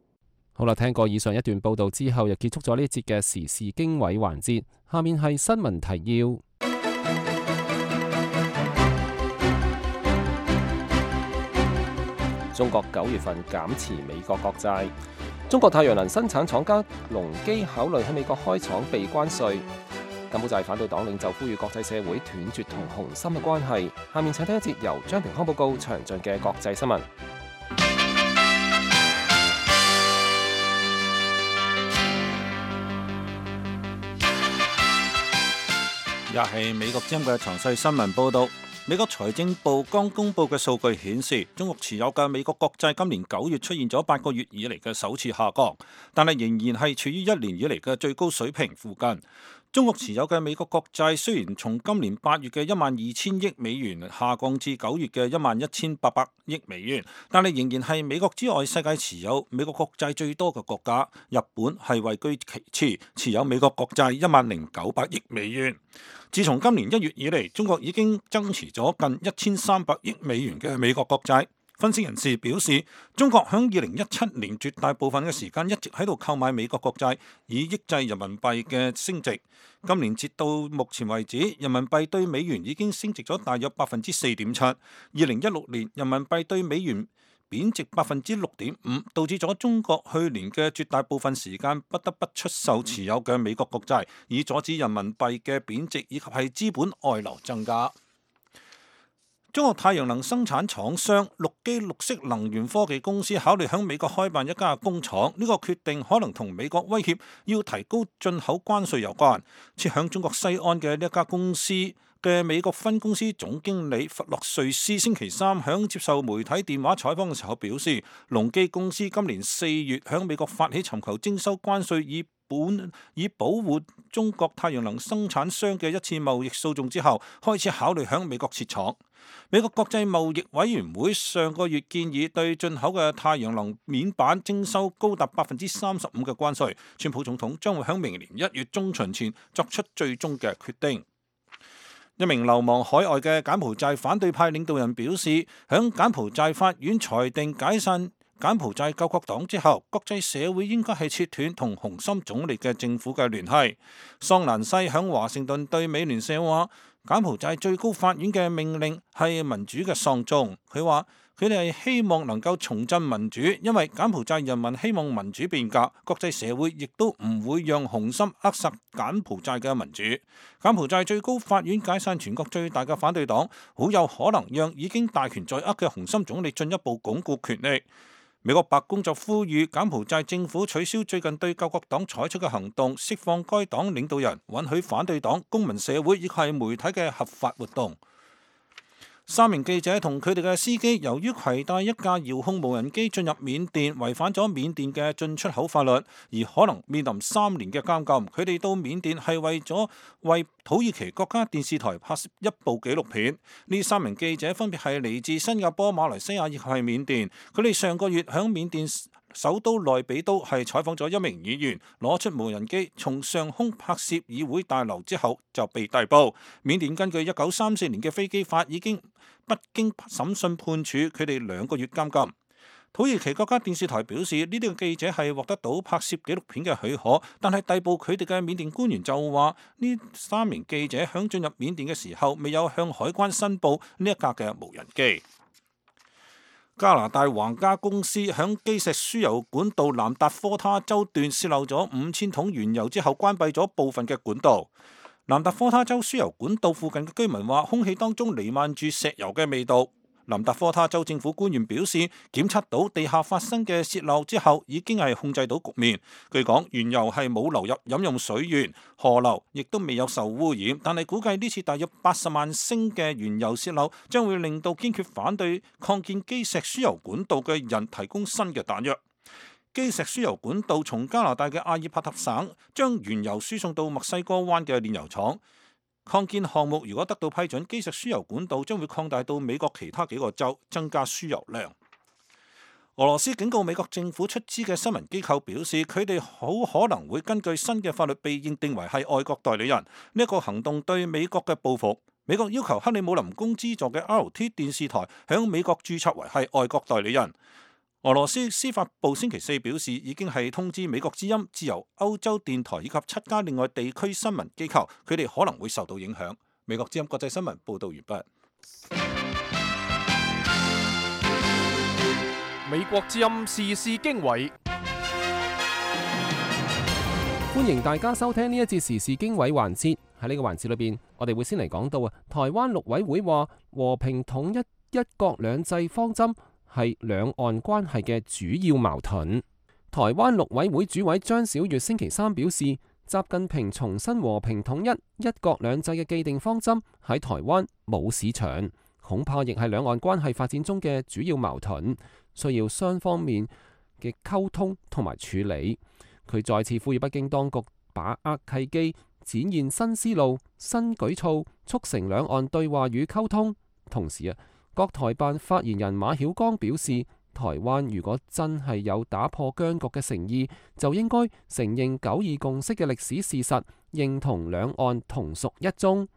好啦，聽過以上一段報導之後，又結束咗呢一節嘅時事經緯環節。下面係新聞提要。中國九月份減持美國國債。中國太陽能生產廠家隆基考慮喺美國開廠避關稅。柬埔寨反對黨領袖呼籲國際社會斷絕同紅心嘅關係。下面請聽一節由張平康報告詳盡嘅國際新聞。又係美國之音嘅詳細新聞報導。美國財政部剛公布嘅數據顯示，中國持有嘅美國國債今年九月出現咗八個月以嚟嘅首次下降，但係仍然係處於一年以嚟嘅最高水平附近。中國持有嘅美國國債雖然從今年八月嘅一萬二千億美元下降至九月嘅一萬一千八百億美元，但係仍然係美國之外世界持有美國國債最多嘅國家。日本係位居其次，持有美國國債一萬零九百億美元。自從今年一月以嚟，中國已經增持咗近一千三百億美元嘅美國國債。分析人士表示，中國響二零一七年絕大部分嘅時間一直喺度購買美國國債，以抑制人民幣嘅升值。今年截到目前為止，人民幣對美元已經升值咗大約百分之四點七。二零一六年人民幣對美元貶值百分之六點五，導致咗中國去年嘅絕大部分時間不得不出售持有嘅美國國債，以阻止人民幣嘅貶值以及係資本外流增加。中國太陽能生產廠商陸基綠色能源科技公司考慮喺美國開辦一家工廠，呢個決定可能同美國威脅要提高進口關稅有關。設響中國西安嘅呢一家公司嘅美國分公司總經理弗洛瑞斯星期三響接受媒體電話採訪嘅時候表示，隆基公司今年四月響美國發起尋求徵收關稅以本以保護中國太陽能生產商嘅一次貿易訴訟之後，開始考慮響美國設廠。美國國際貿易委員會上個月建議對進口嘅太陽能面板徵收高達百分之三十五嘅關稅。川普總統將會響明年一月中旬前作出最終嘅決定。一名流亡海外嘅柬埔寨反對派領導人表示，響柬埔寨法院裁定解散柬埔寨救國黨之後，國際社會應該係切斷同洪森總理嘅政府嘅聯繫。桑蘭西響華盛頓對美聯社話，柬埔寨最高法院嘅命令係民主嘅喪鐘。佢話佢哋係希望能夠重振民主，因為柬埔寨人民希望民主變革，國際社會亦都唔會讓洪森扼殺柬埔寨嘅民主。柬埔寨最高法院解散全國最大嘅反對黨，好有可能讓已經大權在握嘅洪森總理進一步鞏固權力。美國白宮就呼籲柬埔寨政府取消最近對救國黨採取嘅行動，釋放該黨領導人，允許反對黨、公民社會以及係媒體嘅合法活動。三名記者同佢哋嘅司機由於攜帶一架遙控無人機進入緬甸，違反咗緬甸嘅進出口法律，而可能面臨三年嘅監禁。佢哋到緬甸係為咗為土耳其國家電視台拍攝一部紀錄片。呢三名記者分別係嚟自新加坡、馬來西亞以及係緬甸。佢哋上個月響緬甸首都內比都係採訪咗一名議員，攞出無人機從上空拍攝議會大樓之後就被逮捕。緬甸根據一九三四年嘅飛機法已經不經審訊判處佢哋兩個月監禁。土耳其國家電視台表示，呢啲嘅記者係獲得到拍攝紀錄片嘅許可，但係逮捕佢哋嘅緬甸官員就話，呢三名記者響進入緬甸嘅時候未有向海關申報呢一架嘅無人機。加拿大皇家公司響基石輸油管道南達科他州段洩漏咗五千桶原油之後，關閉咗部分嘅管道。南達科他州輸油管道附近嘅居民話，空氣當中彌漫住石油嘅味道。南達科他州政府官員表示，檢測到地下發生嘅洩漏之後，已經係控制到局面。據講，原油係冇流入飲用水源，河流亦都未有受污染。但係估計呢次大約八十萬升嘅原油洩漏，將會令到堅決反對擴建基石輸油管道嘅人提供新嘅彈藥。基石輸油管道從加拿大嘅阿爾伯特省將原油輸送到墨西哥灣嘅煉油廠。擴建項目如果得到批准，基石輸油管道將會擴大到美國其他幾個州，增加輸油量。俄羅斯警告美國政府出資嘅新聞機構表示，佢哋好可能會根據新嘅法律被認定為係外國代理人。呢一個行動對美國嘅報復。美國要求克里姆林宮資助嘅 R T 電視台響美國註冊為係外國代理人。俄羅斯司法部星期四表示，已經係通知美國之音、自由歐洲電台以及七家另外地區新聞機構，佢哋可能會受到影響。美國之音國際新聞報道完畢。美國之音時事經緯，歡迎大家收聽呢一節時事經緯環節。喺呢個環節裏邊，我哋會先嚟講到啊，台灣陸委會話和平統一、一國兩制方針係兩岸關係嘅主要矛盾。台灣陸委會主委張曉月星期三表示，習近平重申和平統一、一國兩制嘅既定方針喺台灣冇市場，恐怕亦係兩岸關係發展中嘅主要矛盾，需要雙方面嘅溝通同埋處理。佢再次呼籲北京當局把握契機，展現新思路、新舉措，促成兩岸對話與溝通。同時啊，國台辦發言人馬曉光表示，台灣如果真係有打破僵局嘅誠意，就應該承認九二共識嘅歷史事實，認同兩岸同屬一中。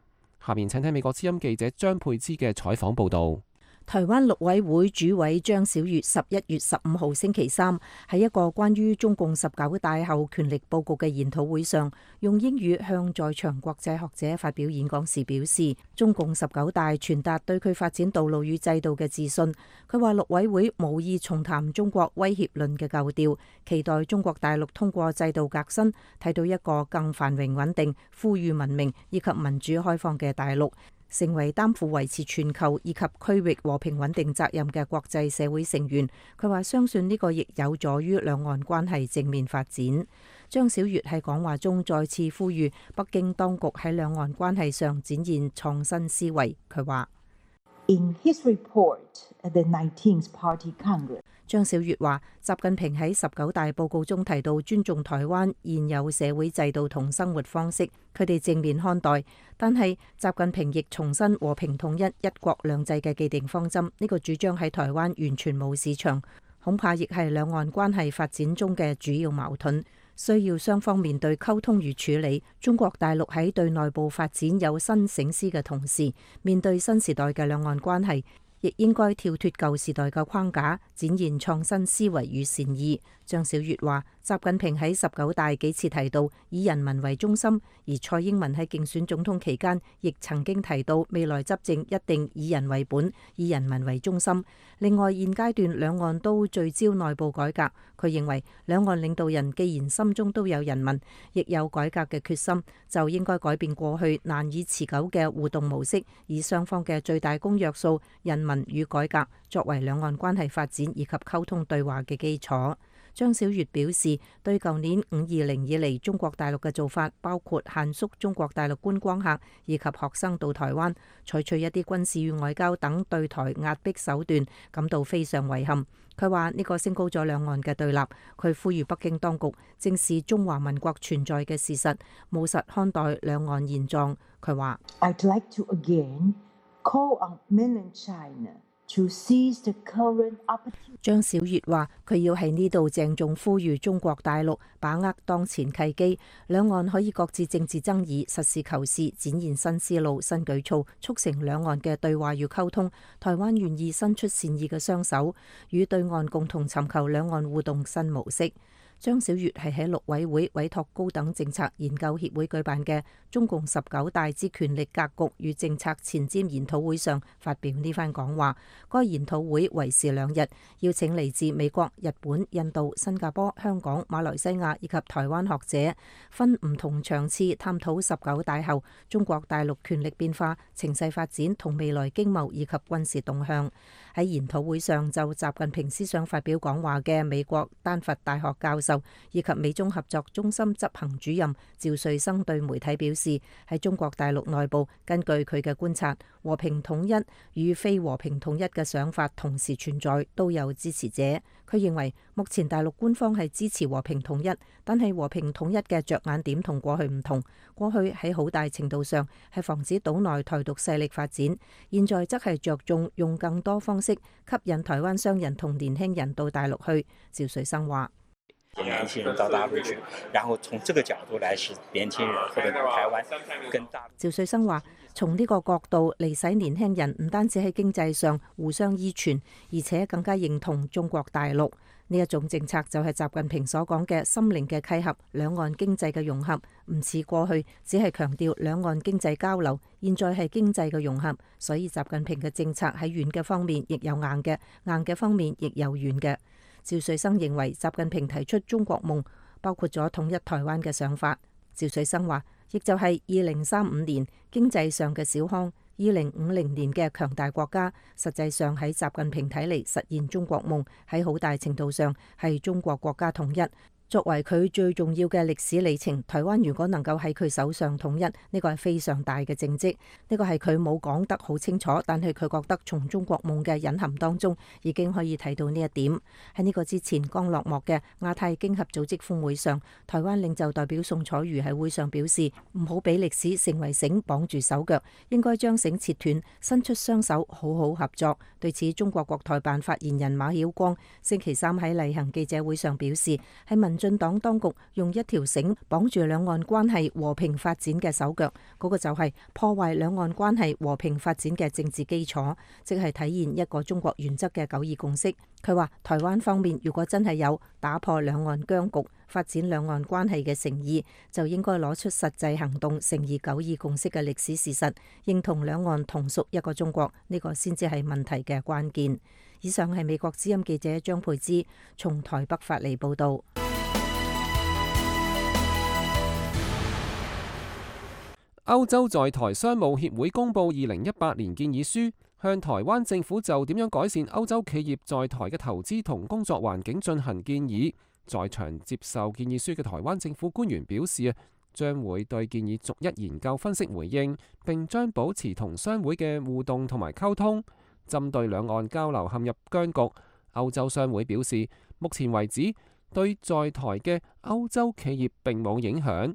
下面請聽美國之音記者張佩芝嘅採訪報導。台灣陸委會主委張曉月十一月十五號星期三喺一個關於中共十九大後權力佈局嘅研討會上，用英語向在場國際學者發表演講時表示，中共十九大傳達對佢發展道路與制度嘅自信。佢話陸委會無意重談中國威脅論嘅舊調，期待中國大陸通過制度革新，睇到一個更繁榮穩定、富裕文明以及民主開放嘅大陸，成為擔負維持全球以及區域和平穩定責任嘅國際社會成員。佢話相信呢個亦有助於兩岸關係正面發展。張曉月喺講話中再次呼籲北京當局喺兩岸關係上展現創新思維。佢話In his report at the nineteenth Party Congress， 張曉月話，習近平喺十九大報告中提到尊重台灣現有社會制度同生活方式，佢哋正面看待。但係習近平亦重申和平統一、一國兩制嘅既定方針，呢、這個主張喺台灣完全冇市場，恐怕亦係兩岸關係發展中嘅主要矛盾，需要雙方面對溝通與處理。中國大陸喺對內部發展有新省思嘅同時，面對新時代嘅兩岸關係，亦應該跳脫舊時代嘅框架，展現創新思維與善意。張曉月話，習近平喺十九大幾次提到以人民為中心，而蔡英文喺競選總統期間亦曾經提到未來執政一定以人為本，以人民為中心。另外，現階段兩岸都聚焦內部改革，佢認為兩岸領導人既然心中都有人民，亦有改革嘅決心，就應該改變過去難以持久嘅互動模式，以雙方嘅最大公約數人民與改革作為兩岸關係發展以及溝通對話嘅基礎。張曉月表示，對舊年五二零以嚟中國大陸嘅做法，包括限縮中國大陸觀光客以及學生到台灣，採取一啲軍事與外交等對台壓迫手段，感到非常遺憾。佢話呢個升高咗兩岸嘅對立，佢呼籲北京當局正視中華民國存在嘅事實，務實看待兩岸現狀。佢話I'd like to again call on mainland China to seize the current opportunity。張曉月話，佢要喺呢度鄭重呼籲中國大陸把握當前契機，兩岸可以擱置政治爭議，實事求是，展現新思路、新舉措，促成兩岸嘅對話與溝通。台灣願意伸出善意嘅雙手，與對岸共同尋求兩岸互動新模式。張小月係喺陸委會委託高等政策研究協會舉辦嘅中共十九大之權力格局與政策前瞻研討會上發表呢番講話。該研討會為時兩日，邀請嚟自美國、日本、印度、新加坡、香港、馬來西亞以及台灣學者，分唔同場次探討十九大後中國大陸權力變化、情勢發展同未來經貿以及軍事動向。喺研討會上就習近平思想發表講話嘅美國丹佛大學教授以及美中合作中心執行主任趙瑞生對媒體表示，喺中國大陸內部，根據佢嘅觀察，和平統一與非和平統一嘅想法同時存在，都有支持者。佢認為目前大陸官方係支持和平統一，但係和平統一嘅着眼點同過去唔同。過去喺好大程度上係防止島內台獨勢力發展，現在則係着重用更多方式吸引台灣商人同年輕人到大陸去。趙水生話：年輕人到大陸去，然後從這個角度來使年輕人或者台灣跟大陸。趙水生話：從呢個角度嚟使年輕人唔單止喺經濟上互相依存，而且更加認同中國大陸。呢一種政策就係習近平所講嘅心靈嘅契合、兩岸經濟嘅融合，唔似過去只係強調兩岸經濟交流，現在係經濟嘅融合。所以習近平嘅政策喺軟嘅方面亦有硬嘅，硬嘅方面亦有軟嘅。趙瑞生認為習近平提出中國夢，包括咗統一台灣嘅想法。趙瑞生話，亦就係二零三五年經濟上嘅小康，二零五零年嘅強大國家。實際上喺習近平睇嚟，實現中國夢喺好大程度上係中國國家統一。作為佢最重要嘅歷史里程，台灣如果能夠喺佢手上統一，呢個係非常大嘅政績。呢個係佢冇講得好清楚，但係佢覺得從中國夢嘅隱含當中已經可以睇到呢一點。喺呢個之前剛落幕嘅亞太經合組織峰會上，台灣領袖代表宋楚瑜喺會上表示，唔好俾歷史成為繩綁住手腳，應該將繩切斷，伸出雙手好好合作。對此，中國國台辦發言人馬曉光星期三喺例行記者會上表示，係民進黨當局用一條繩綁住兩岸關係和平發展嘅手腳，嗰個就係破壞兩岸關係和平發展嘅政治基礎，即係體現一個中國原則嘅九二共識。佢話台灣方面如果真係有打破兩岸僵局、發展兩岸關係嘅誠意，就應該攞出實際行動，誠意九二共識嘅歷史事實，認同兩岸同屬一個中國，呢個先至係問題嘅關鍵。以上係美國之音記者張佩芝從台北發嚟報道。歐洲在台商務協會公布二零一八年建議書，向台灣政府就點樣改善歐洲企業在台嘅投資同工作環境進行建議。在場接受建議書嘅台灣政府官員表示啊，將會對建議逐一研究分析回應，並將保持同商會嘅互動同埋溝通。針對兩岸交流陷入僵局，歐洲商會表示，目前為止對在台嘅歐洲企業並冇影響。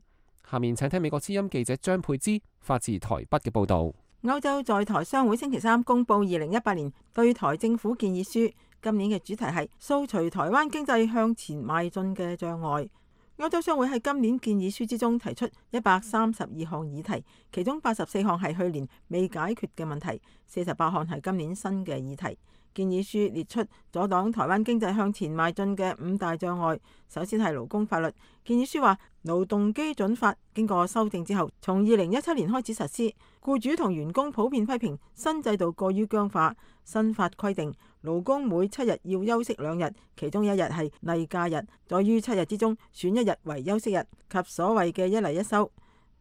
下面請聽美國之音記者張佩芝發自台北嘅報導。歐洲在台商會星期三公布二零一八年對台政府建議書，今年嘅主題係掃除台灣經濟向前邁進嘅障礙。歐洲商會喺今年建議書之中提出一百三十二項議題，其中八十四項係去年未解決嘅問題，四十八項係今年新嘅議題。建議書列出阻擋台灣經濟向前邁進嘅五大障礙。首先係勞工法律。建議書話，勞動基準法經過修正之後，從二零一七年開始實施。僱主同員工普遍批評新制度過於僵化。新法規定，勞工每七日要休息兩日，其中一日係例假日，在於七日之中選一日為休息日，及所謂嘅一例一休。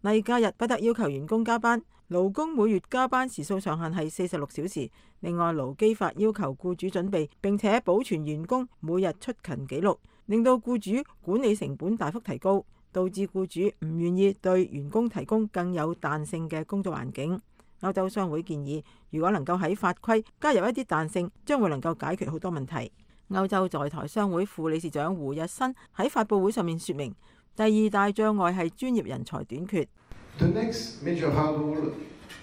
例假日不得要求員工加班。勞工每月加班時數上限係四十六小時。另外，勞基法要求僱主準備並且保存員工每日出勤記錄，令到僱主管理成本大幅提高，導致僱主唔願意對員工提供更有彈性嘅工作環境。歐洲商會建議，如果能夠喺法規加入一啲彈性，將會能夠解決好多問題。歐洲在台商會副理事長胡日新喺發佈會上面說明，第二大障礙係專業人才短缺。The next major hurdle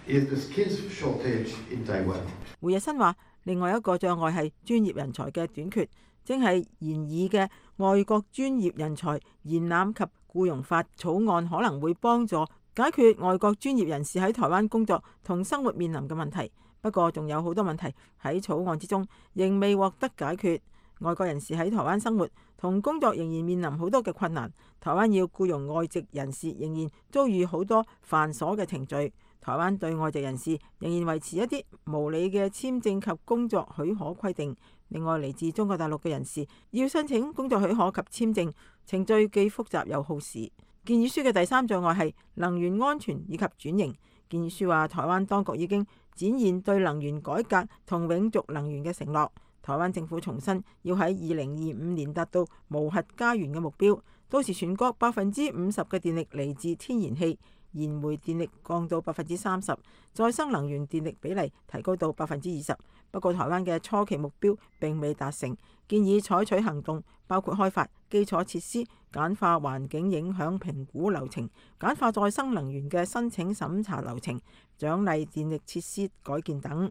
is the skills shortage in Taiwan. 胡日新話，另外一個障礙係專業人才嘅短缺，正係研議嘅外國專業人才延攬及僱傭法草案可能會幫助解決外國專業人士喺台灣工作同生活面臨嘅問題。不過仲有好多問題喺草案之中仍未獲得解決。外國人士喺台灣生活同工作仍然面臨好多嘅困難。台灣要僱傭外籍人士仍然遭遇好多繁瑣嘅程序。台灣對外籍人士仍然維持一啲無理嘅簽證及工作許可規定。另外，嚟自中國大陸嘅人士要申請工作許可及簽證，程序既複雜又耗時。建議書嘅第三障礙係能源安全以及轉型。建議書話，台灣當局已經展現對能源改革同永續能源嘅承諾。台灣政府重申要喺二零二五年達到無核家園嘅目標，到時全國百分之五十嘅電力嚟自天然氣，燃煤電力降到百分之三十，再生能源電力比例提高到百分之二十。不過台灣嘅初期目標並未達成，建議採取行動，包括開發基礎設施、簡化環境影響評估流程、簡化再生能源嘅申請審查流程、獎勵電力設施改建等。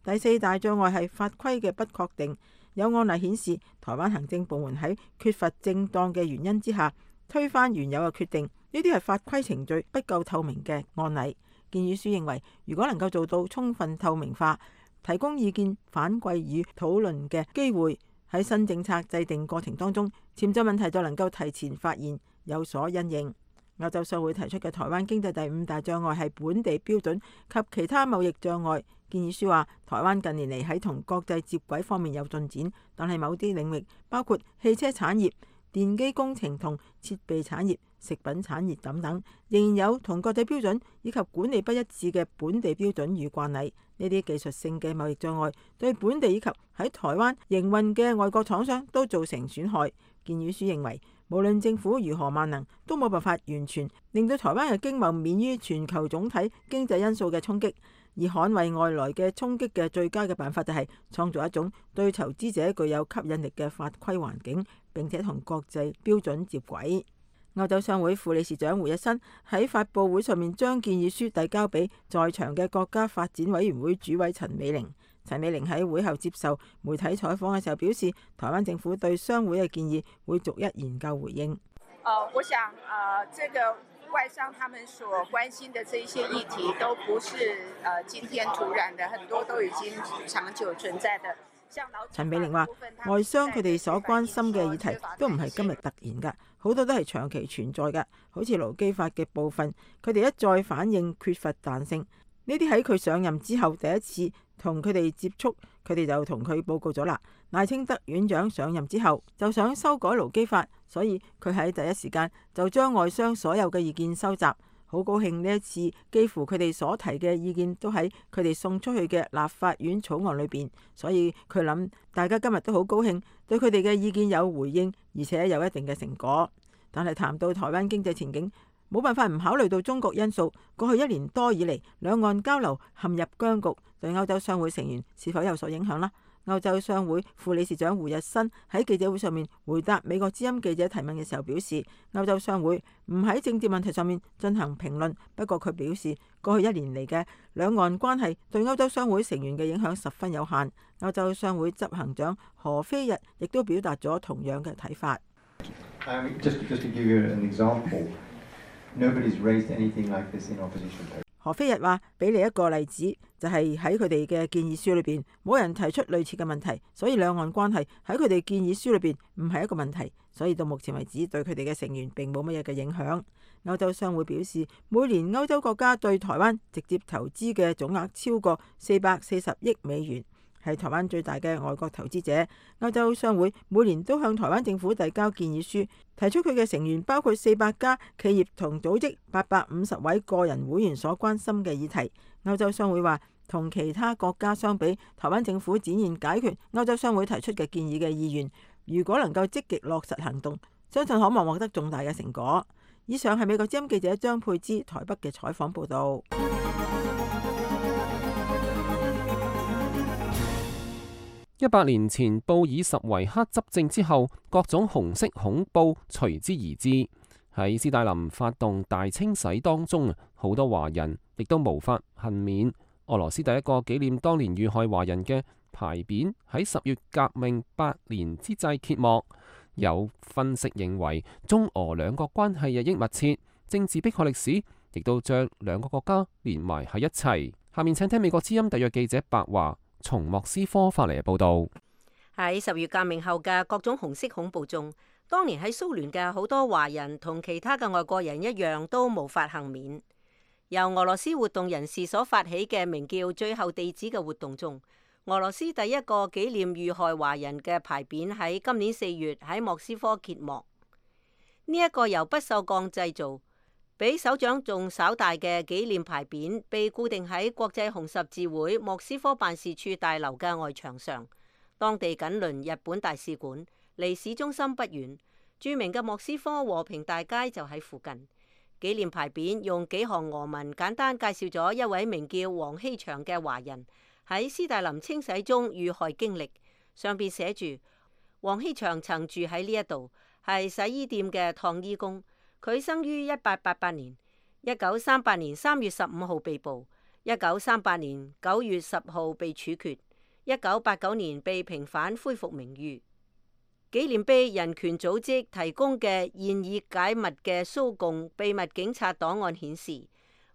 第四大障礙係法規嘅不確定。有案例顯示，台灣行政部門喺缺乏正當嘅原因之下，推翻原有嘅決定，呢啲係法規程序不夠透明嘅案例。建議書認為，如果能夠做到充分透明化，提供意見反饋與討論嘅機會，喺新政策制定過程當中，潛在問題就能夠提前發現，有所因應。歐洲商會提出嘅台灣經濟第五大障礙係本地標準及其他貿易障礙。建議書話，台灣近年嚟喺同國際接軌方面有進展，但係某啲領域，包括汽車產業、電機工程同設備產業、食品產業等等，仍然有同國際標準以及管理不一致嘅本地標準與慣例。呢啲技術性嘅貿易障礙對本地以及喺台灣營運嘅外國廠商都造成損害。建議書認為，無論政府如何萬能，都冇辦法完全令到台灣嘅經貿免於全球總體經濟因素嘅衝擊。而捍衛外來嘅衝擊嘅最佳嘅辦法就係創造一種對投資者具有吸引力嘅法規環境，並且同國際標準接軌。歐洲商會副理事長胡一新喺發佈會上面將建議書遞交俾在場嘅國家發展委員會主委陳美玲。陳美玲喺會後接受媒體採訪嘅時候表示，台灣政府對商會嘅建議會逐一研究回應。呃，我想，呃，這個外商他們所關心的這些議題，都不是呃今天突然的，很多都已經長久存在的。陳美玲話：外商佢哋所關心嘅議題都唔係今日突然㗎，好多都係長期存在㗎。好似勞基法嘅部分，佢哋一再反映缺乏彈性。呢啲喺佢上任之後第一次同佢哋接觸，佢哋就同佢報告咗啦。賴清德院長上任之後就想修改勞基法，所以佢喺第一時間就將外商所有嘅意見收集。好高興呢一次幾乎佢哋所提嘅意見都喺佢哋送出去嘅立法院草案裏邊，所以佢諗大家今日都好高興，對佢哋嘅意見有回應，而且有一定嘅成果。但係談到台灣經濟前景，冇辦法唔考慮到中國因素。過去一年多以嚟，兩岸交流陷入僵局，對歐洲商會成員是否有所影響呢？歐洲商會副理事長胡日新喺記者會上面回答美國之音記者提問嘅時候表示，歐洲商會唔喺政治問題上面進行評論。不過佢表示，過去一年嚟嘅兩岸關係對歐洲商會成員嘅影響十分有限。歐洲商會執行長何非日亦都表達咗同樣嘅睇法。Um, just, just to give you an example, nobody's raised anything like this in opposition. 何非日話：俾你一個例子，就係喺佢哋嘅建議書裏邊，冇人提出類似嘅問題，所以兩岸關係喺佢哋建議書裏邊唔係一個問題，所以到目前為止對佢哋嘅成員並冇乜嘢嘅影響。歐洲商會表示，每年歐洲國家對台灣直接投資嘅總額超過四百四十億美元，係台灣最大嘅外國投資者。歐洲商會每年都向台灣政府遞交建議書，提出佢嘅成員包括四百家企業同組織、八百五十位個人會員所關心嘅議題。歐洲商會話，同其他國家相比，台灣政府展現解決歐洲商會提出嘅建議嘅意願。如果能夠積極落實行動，相信可望獲得重大嘅成果。以上係美國之音記者張佩芝台北嘅採訪報導。一百年前布爾什維克執政之後，各種紅色恐怖隨之而至。喺斯大林發動大清洗當中，好多華人亦都無法幸免。俄羅斯第一個紀念當年遇害華人嘅牌匾喺十月革命百年之際揭幕。有分析認為，中俄兩國關係日益密切，政治迫害歷史亦都將兩個國家連埋喺一齊。下面請聽美國之音特約記者白華從莫斯科發嚟嘅報道。喺十月革命後嘅各種紅色恐怖中，當年喺蘇聯嘅好多華人同其他嘅外國人一樣都無法幸免。由俄羅斯活動人士所發起嘅名叫最後地址嘅活動中，俄羅斯第一個紀念遇害華人嘅牌匾喺今年四月喺莫斯科揭幕。呢、這、一個由不鏽鋼製造，比手掌仲稍大嘅紀念牌匾，被固定喺國際紅十字會莫斯科辦事處大樓嘅外牆上。當地緊鄰日本大使館，離市中心不遠。著名嘅莫斯科和平大街就喺附近。紀念牌匾用幾行俄文簡單介紹咗一位名叫黃希祥嘅華人喺斯大林清洗中遇害經歷。上邊寫住黃希祥曾住喺呢一度，係洗衣店嘅燙衣工。佢生於一八八八年，一九三八年三月十五號被捕，一九三八年九月十號被處決，一九八九年被平反恢復名譽。紀念碑人權組織提供嘅現已解密嘅蘇共秘密警察檔案顯示，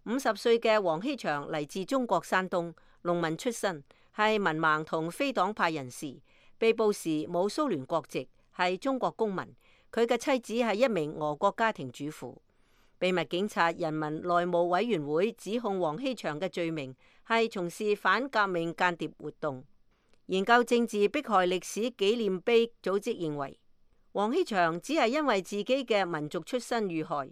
五十歲嘅黃希祥嚟自中國山東，農民出身，係文盲同非黨派人士。被捕時冇蘇聯國籍，係中國公民。佢嘅妻子係一名俄國家庭主婦。秘密警察人民內務委員會指控黃希祥嘅罪名係從事反革命間諜活動。研究政治迫害歷史紀念碑組織認為，黃希祥只係因為自己嘅民族出身遇害。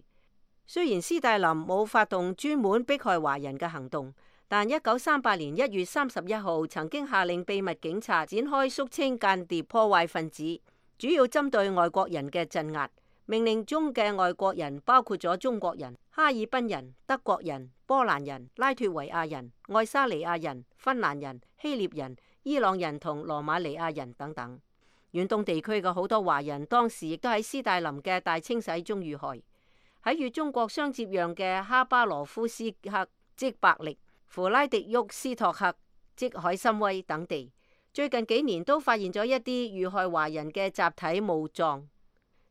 雖然斯大林冇發動專門迫害華人嘅行動，但一九三八年一月三十一號曾經下令秘密警察展開肅清間諜破壞分子，主要針對外國人嘅鎮壓。命令中嘅外國人包括咗中國人、哈爾濱人、德國人、波蘭人、拉脫維亞人、愛沙尼亞人、芬蘭人、希臘人、伊朗人同羅馬尼亞人等等。遠東地區嘅好多華人當時亦都喺斯大林嘅大清洗中遇害。喺與中國相接壤嘅哈巴羅夫斯克即伯力、弗拉迪沃斯托克即海參崴等地，最近幾年都發現咗一啲遇害華人嘅集體墓葬。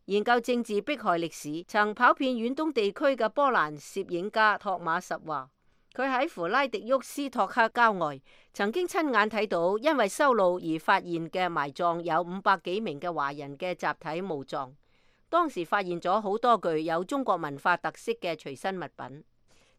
研究政治迫害歷史、曾跑遍遠東地區嘅波蘭攝影家托馬什話，佢喺弗拉迪沃斯托克郊外曾經親眼睇到因為修路而發現嘅埋葬有五百幾名嘅華人嘅集體墓葬。當時發現咗好多具有中國文化特色嘅隨身物品。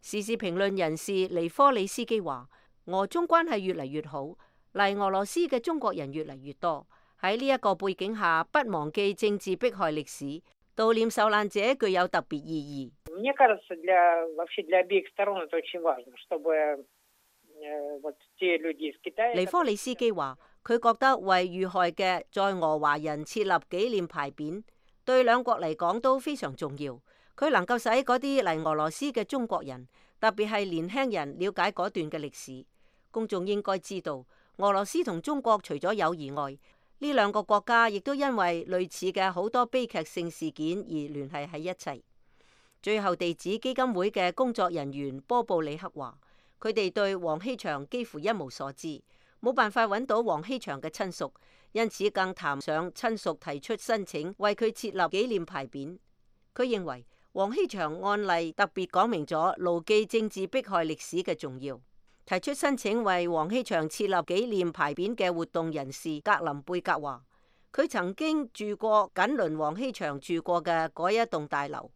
時事評論人士尼科里斯基話，俄中關係越嚟越好，嚟俄羅斯嘅中國人越嚟越多。喺呢一個背景下，不忘記政治迫害歷史，悼念受難者具有特別意義。尼科里斯基話，佢覺得為遇害嘅在俄華人設立紀念牌匾，對兩國嚟講都非常重要。佢能夠使嗰啲嚟俄羅斯嘅中國人，特別係年輕人了解嗰段嘅歷史。公眾應該知道，俄羅斯同中國除咗友誼外，呢兩個國家亦都因為類似嘅好多悲劇性事件而聯繫喺一齊。最後地址基金會嘅工作人員波布里克話，佢哋對黃希祥幾乎一無所知，冇辦法揾到黃希祥嘅親屬，因此更談上親屬提出申請為佢設立紀念牌匾。佢認為黃希祥案例特別講明咗牢記政治迫害歷史嘅重要。提出申請為黃希祥設立紀念牌匾嘅活動人士格林貝格話，佢曾經住過緊鄰黃希祥住過嘅嗰一棟大樓。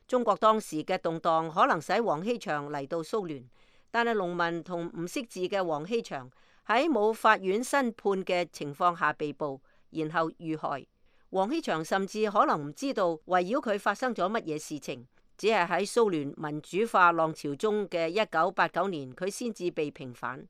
中國當時嘅動盪可能使黃希祥嚟到蘇聯，但係農民同唔識字嘅黃希祥喺冇法院申判嘅情況下被捕，然後遇害。黃希祥甚至可能唔知道圍繞佢發生咗乜嘢事情。只係喺蘇聯民主化浪潮中嘅一九八九年，佢先至被平反，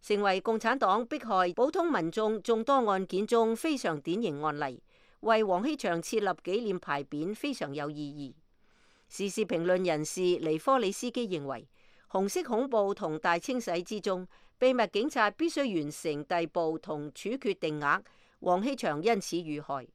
成為共產黨迫害普通民眾眾多案件中非常典型案例。為黃希祥設立紀念牌匾非常有意義。時事評論人士尼科里斯基認為，紅色恐怖同大清洗之中，秘密警察必須完成逮捕同處決定額，黃希祥因此遇害。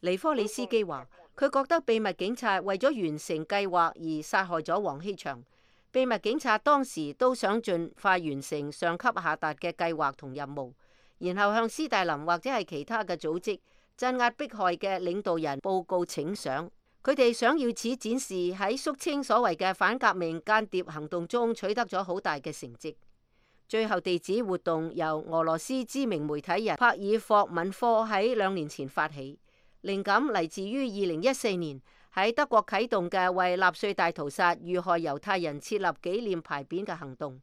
尼科里斯基話，佢覺得秘密警察為咗完成計劃而殺害咗黃希祥。秘密警察當時都想盡快完成上級下達嘅計劃同任務，然後向斯大林或者係其他嘅組織鎮壓迫害嘅領導人報告請賞。佢哋想要此展示喺肅清所謂嘅反革命間諜行動中取得咗好大嘅成績。最後地址活動由俄羅斯知名媒體人帕爾霍敏科喺兩年前發起，靈感嚟自於二零一四年喺德國啟動嘅為納粹大屠殺遇害猶太人設立紀念牌匾嘅行動。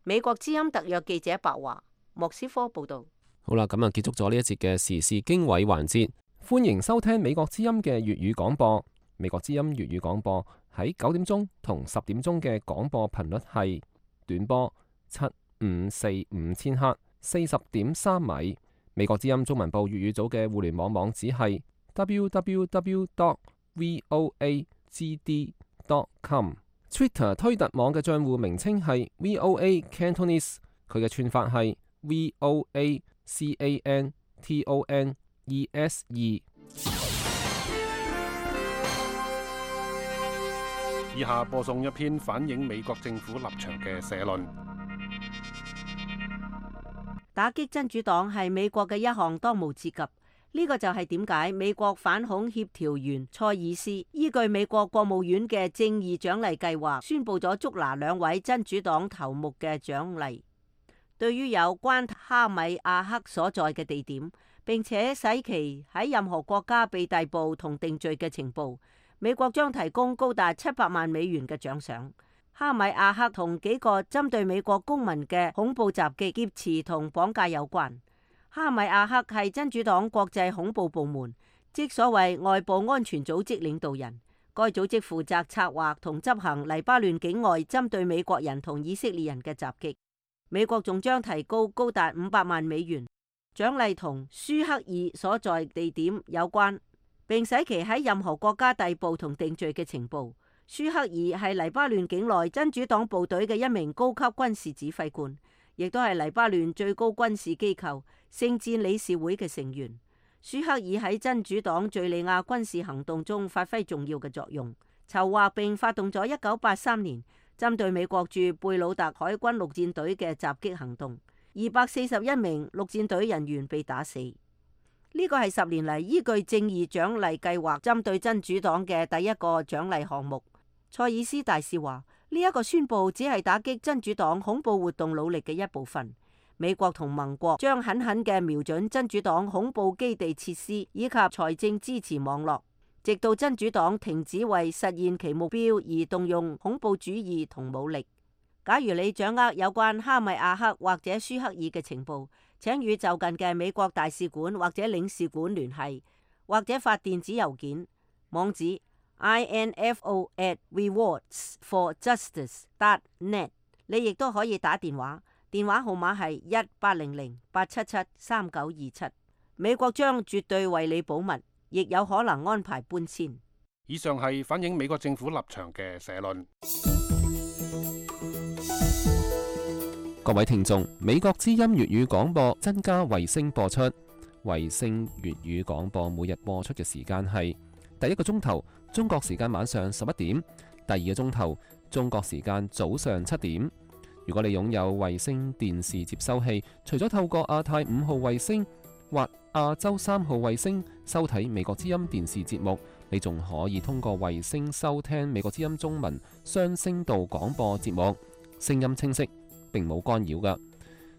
美國之音特約記者白華莫斯科報道。好啦，咁啊結束咗呢一節嘅時事經緯環節。歡迎收聽美國之音嘅粵語廣播。美國之音粵語廣播喺九點鐘同十點鐘嘅廣播頻率係短波七五四五千赫，四十點三米。美國之音中文部粵語組嘅互聯網網址係 double-u double-u double-u dot voa g d dot com。Twitter 推特網嘅賬戶名稱係 V O A Cantonese， 佢嘅串法係 V O A C A N T O N E S E。以下播送一篇反映美國政府立場嘅社論。打擊真主黨係美國嘅一項當務之急，呢個就係點解美國反恐協調員塞爾斯依據美國國務院嘅正義獎勵計劃，宣布咗捉拿兩位真主黨頭目嘅獎勵。對於有關哈米亞克所在嘅地點，並且使其喺任何國家被逮捕同定罪嘅情報，美國將提供高達七百萬美元嘅獎賞。哈米亞克同幾個針對美國公民嘅恐怖襲擊、劫持同綁架有關。哈米亞克係真主黨國際恐怖部門，即所謂外部安全組織領導人。該組織負責策劃同執行黎巴嫩境外針對美國人同以色列人嘅襲擊。美國仲將提高高達五百萬美元獎勵同舒克爾所在地點有關，並使其喺任何國家逮捕同定罪嘅情報。舒克爾係黎巴嫩境內真主黨部隊嘅一名高級軍事指揮官，亦都係黎巴嫩最高軍事機構聖戰理事會嘅成員。舒克爾喺真主黨敘利亞軍事行動中發揮重要嘅作用，籌劃並發動咗一九八三年針對美國駐貝魯特海軍陸戰隊嘅襲擊行動，二百四十一名陸戰隊人員被打死。呢個係十年嚟依據正義獎勵計劃針對真主黨嘅第一個獎勵項目。塞爾斯大使話：呢一個宣佈只係打擊真主黨恐怖活動努力嘅一部分。美國同盟國將狠狠嘅瞄準真主黨恐怖基地設施以及財政支持網絡，直到真主黨停止為實現其目標而動用恐怖主義同武力。假如你掌握有關哈米亞克或者舒克爾嘅情報，請與就近嘅美國大使館或者領事館聯繫，或者發電子郵件，網址 info at rewards for justice dot net。你亦都可以打電話，電話號碼係一八零零八七七三九二七。美國將絕對為你保密，亦有可能安排搬遷。以上係反映美國政府立場嘅社論。各位聽眾，美國之音粵語廣播增加衛星播出。衛星粵語廣播每日播出嘅時間係第一個鐘頭中國時間晚上十一點，第二個鐘頭中國時間早上七點。如果你擁有衛星電視接收器，除咗透過亞太五號衛星或亞洲三號衛星收睇美國之音電視節目，你仲可以通過衛星收聽美國之音中文雙聲道廣播節目，聲音清晰，並冇干擾㗎。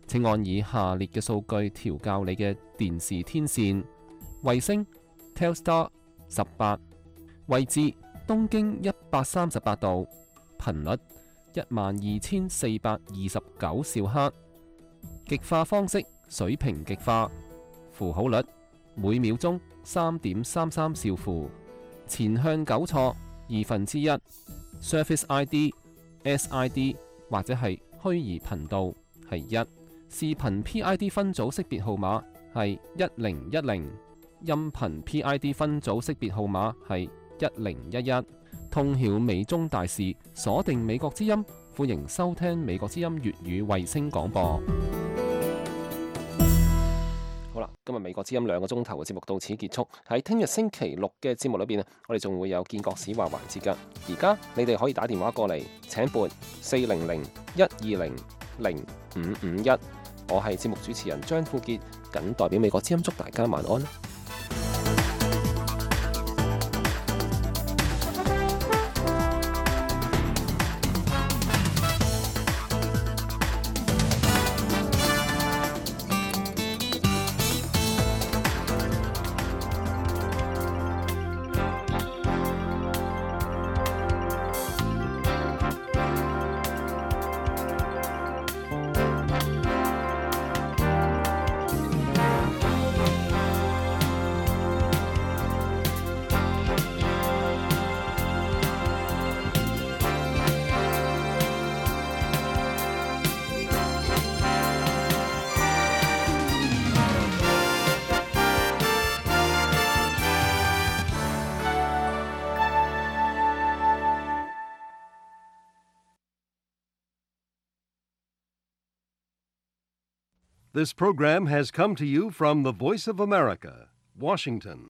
請按以下列嘅數據調校你嘅電視天線：衛星 Telstar 十八，位置東經一百三十八度，頻率一萬二千四百二十九兆赫，極化方式水平極化，符號率每秒鐘三點三三兆符，前向糾錯二分之一 ，Service I D S I D 或者係虛擬頻道係一，視頻 P I D 分組識別號碼係一零一零，音頻 P I D 分組識別號碼係一零一一。通曉美中大事，鎖定美國之音，歡迎收聽美國之音粵語衛星廣播。好啦，今日美國之音兩個鐘頭嘅節目到此結束。喺聽日星期六嘅節目裏邊，我哋仲會有建國史話環節噶。而家你哋可以打電話過嚟，請撥四零零一二零零五五一。我係節目主持人張富傑，謹代表美國之音祝大家晚安。This program has come to you from the Voice of America, Washington.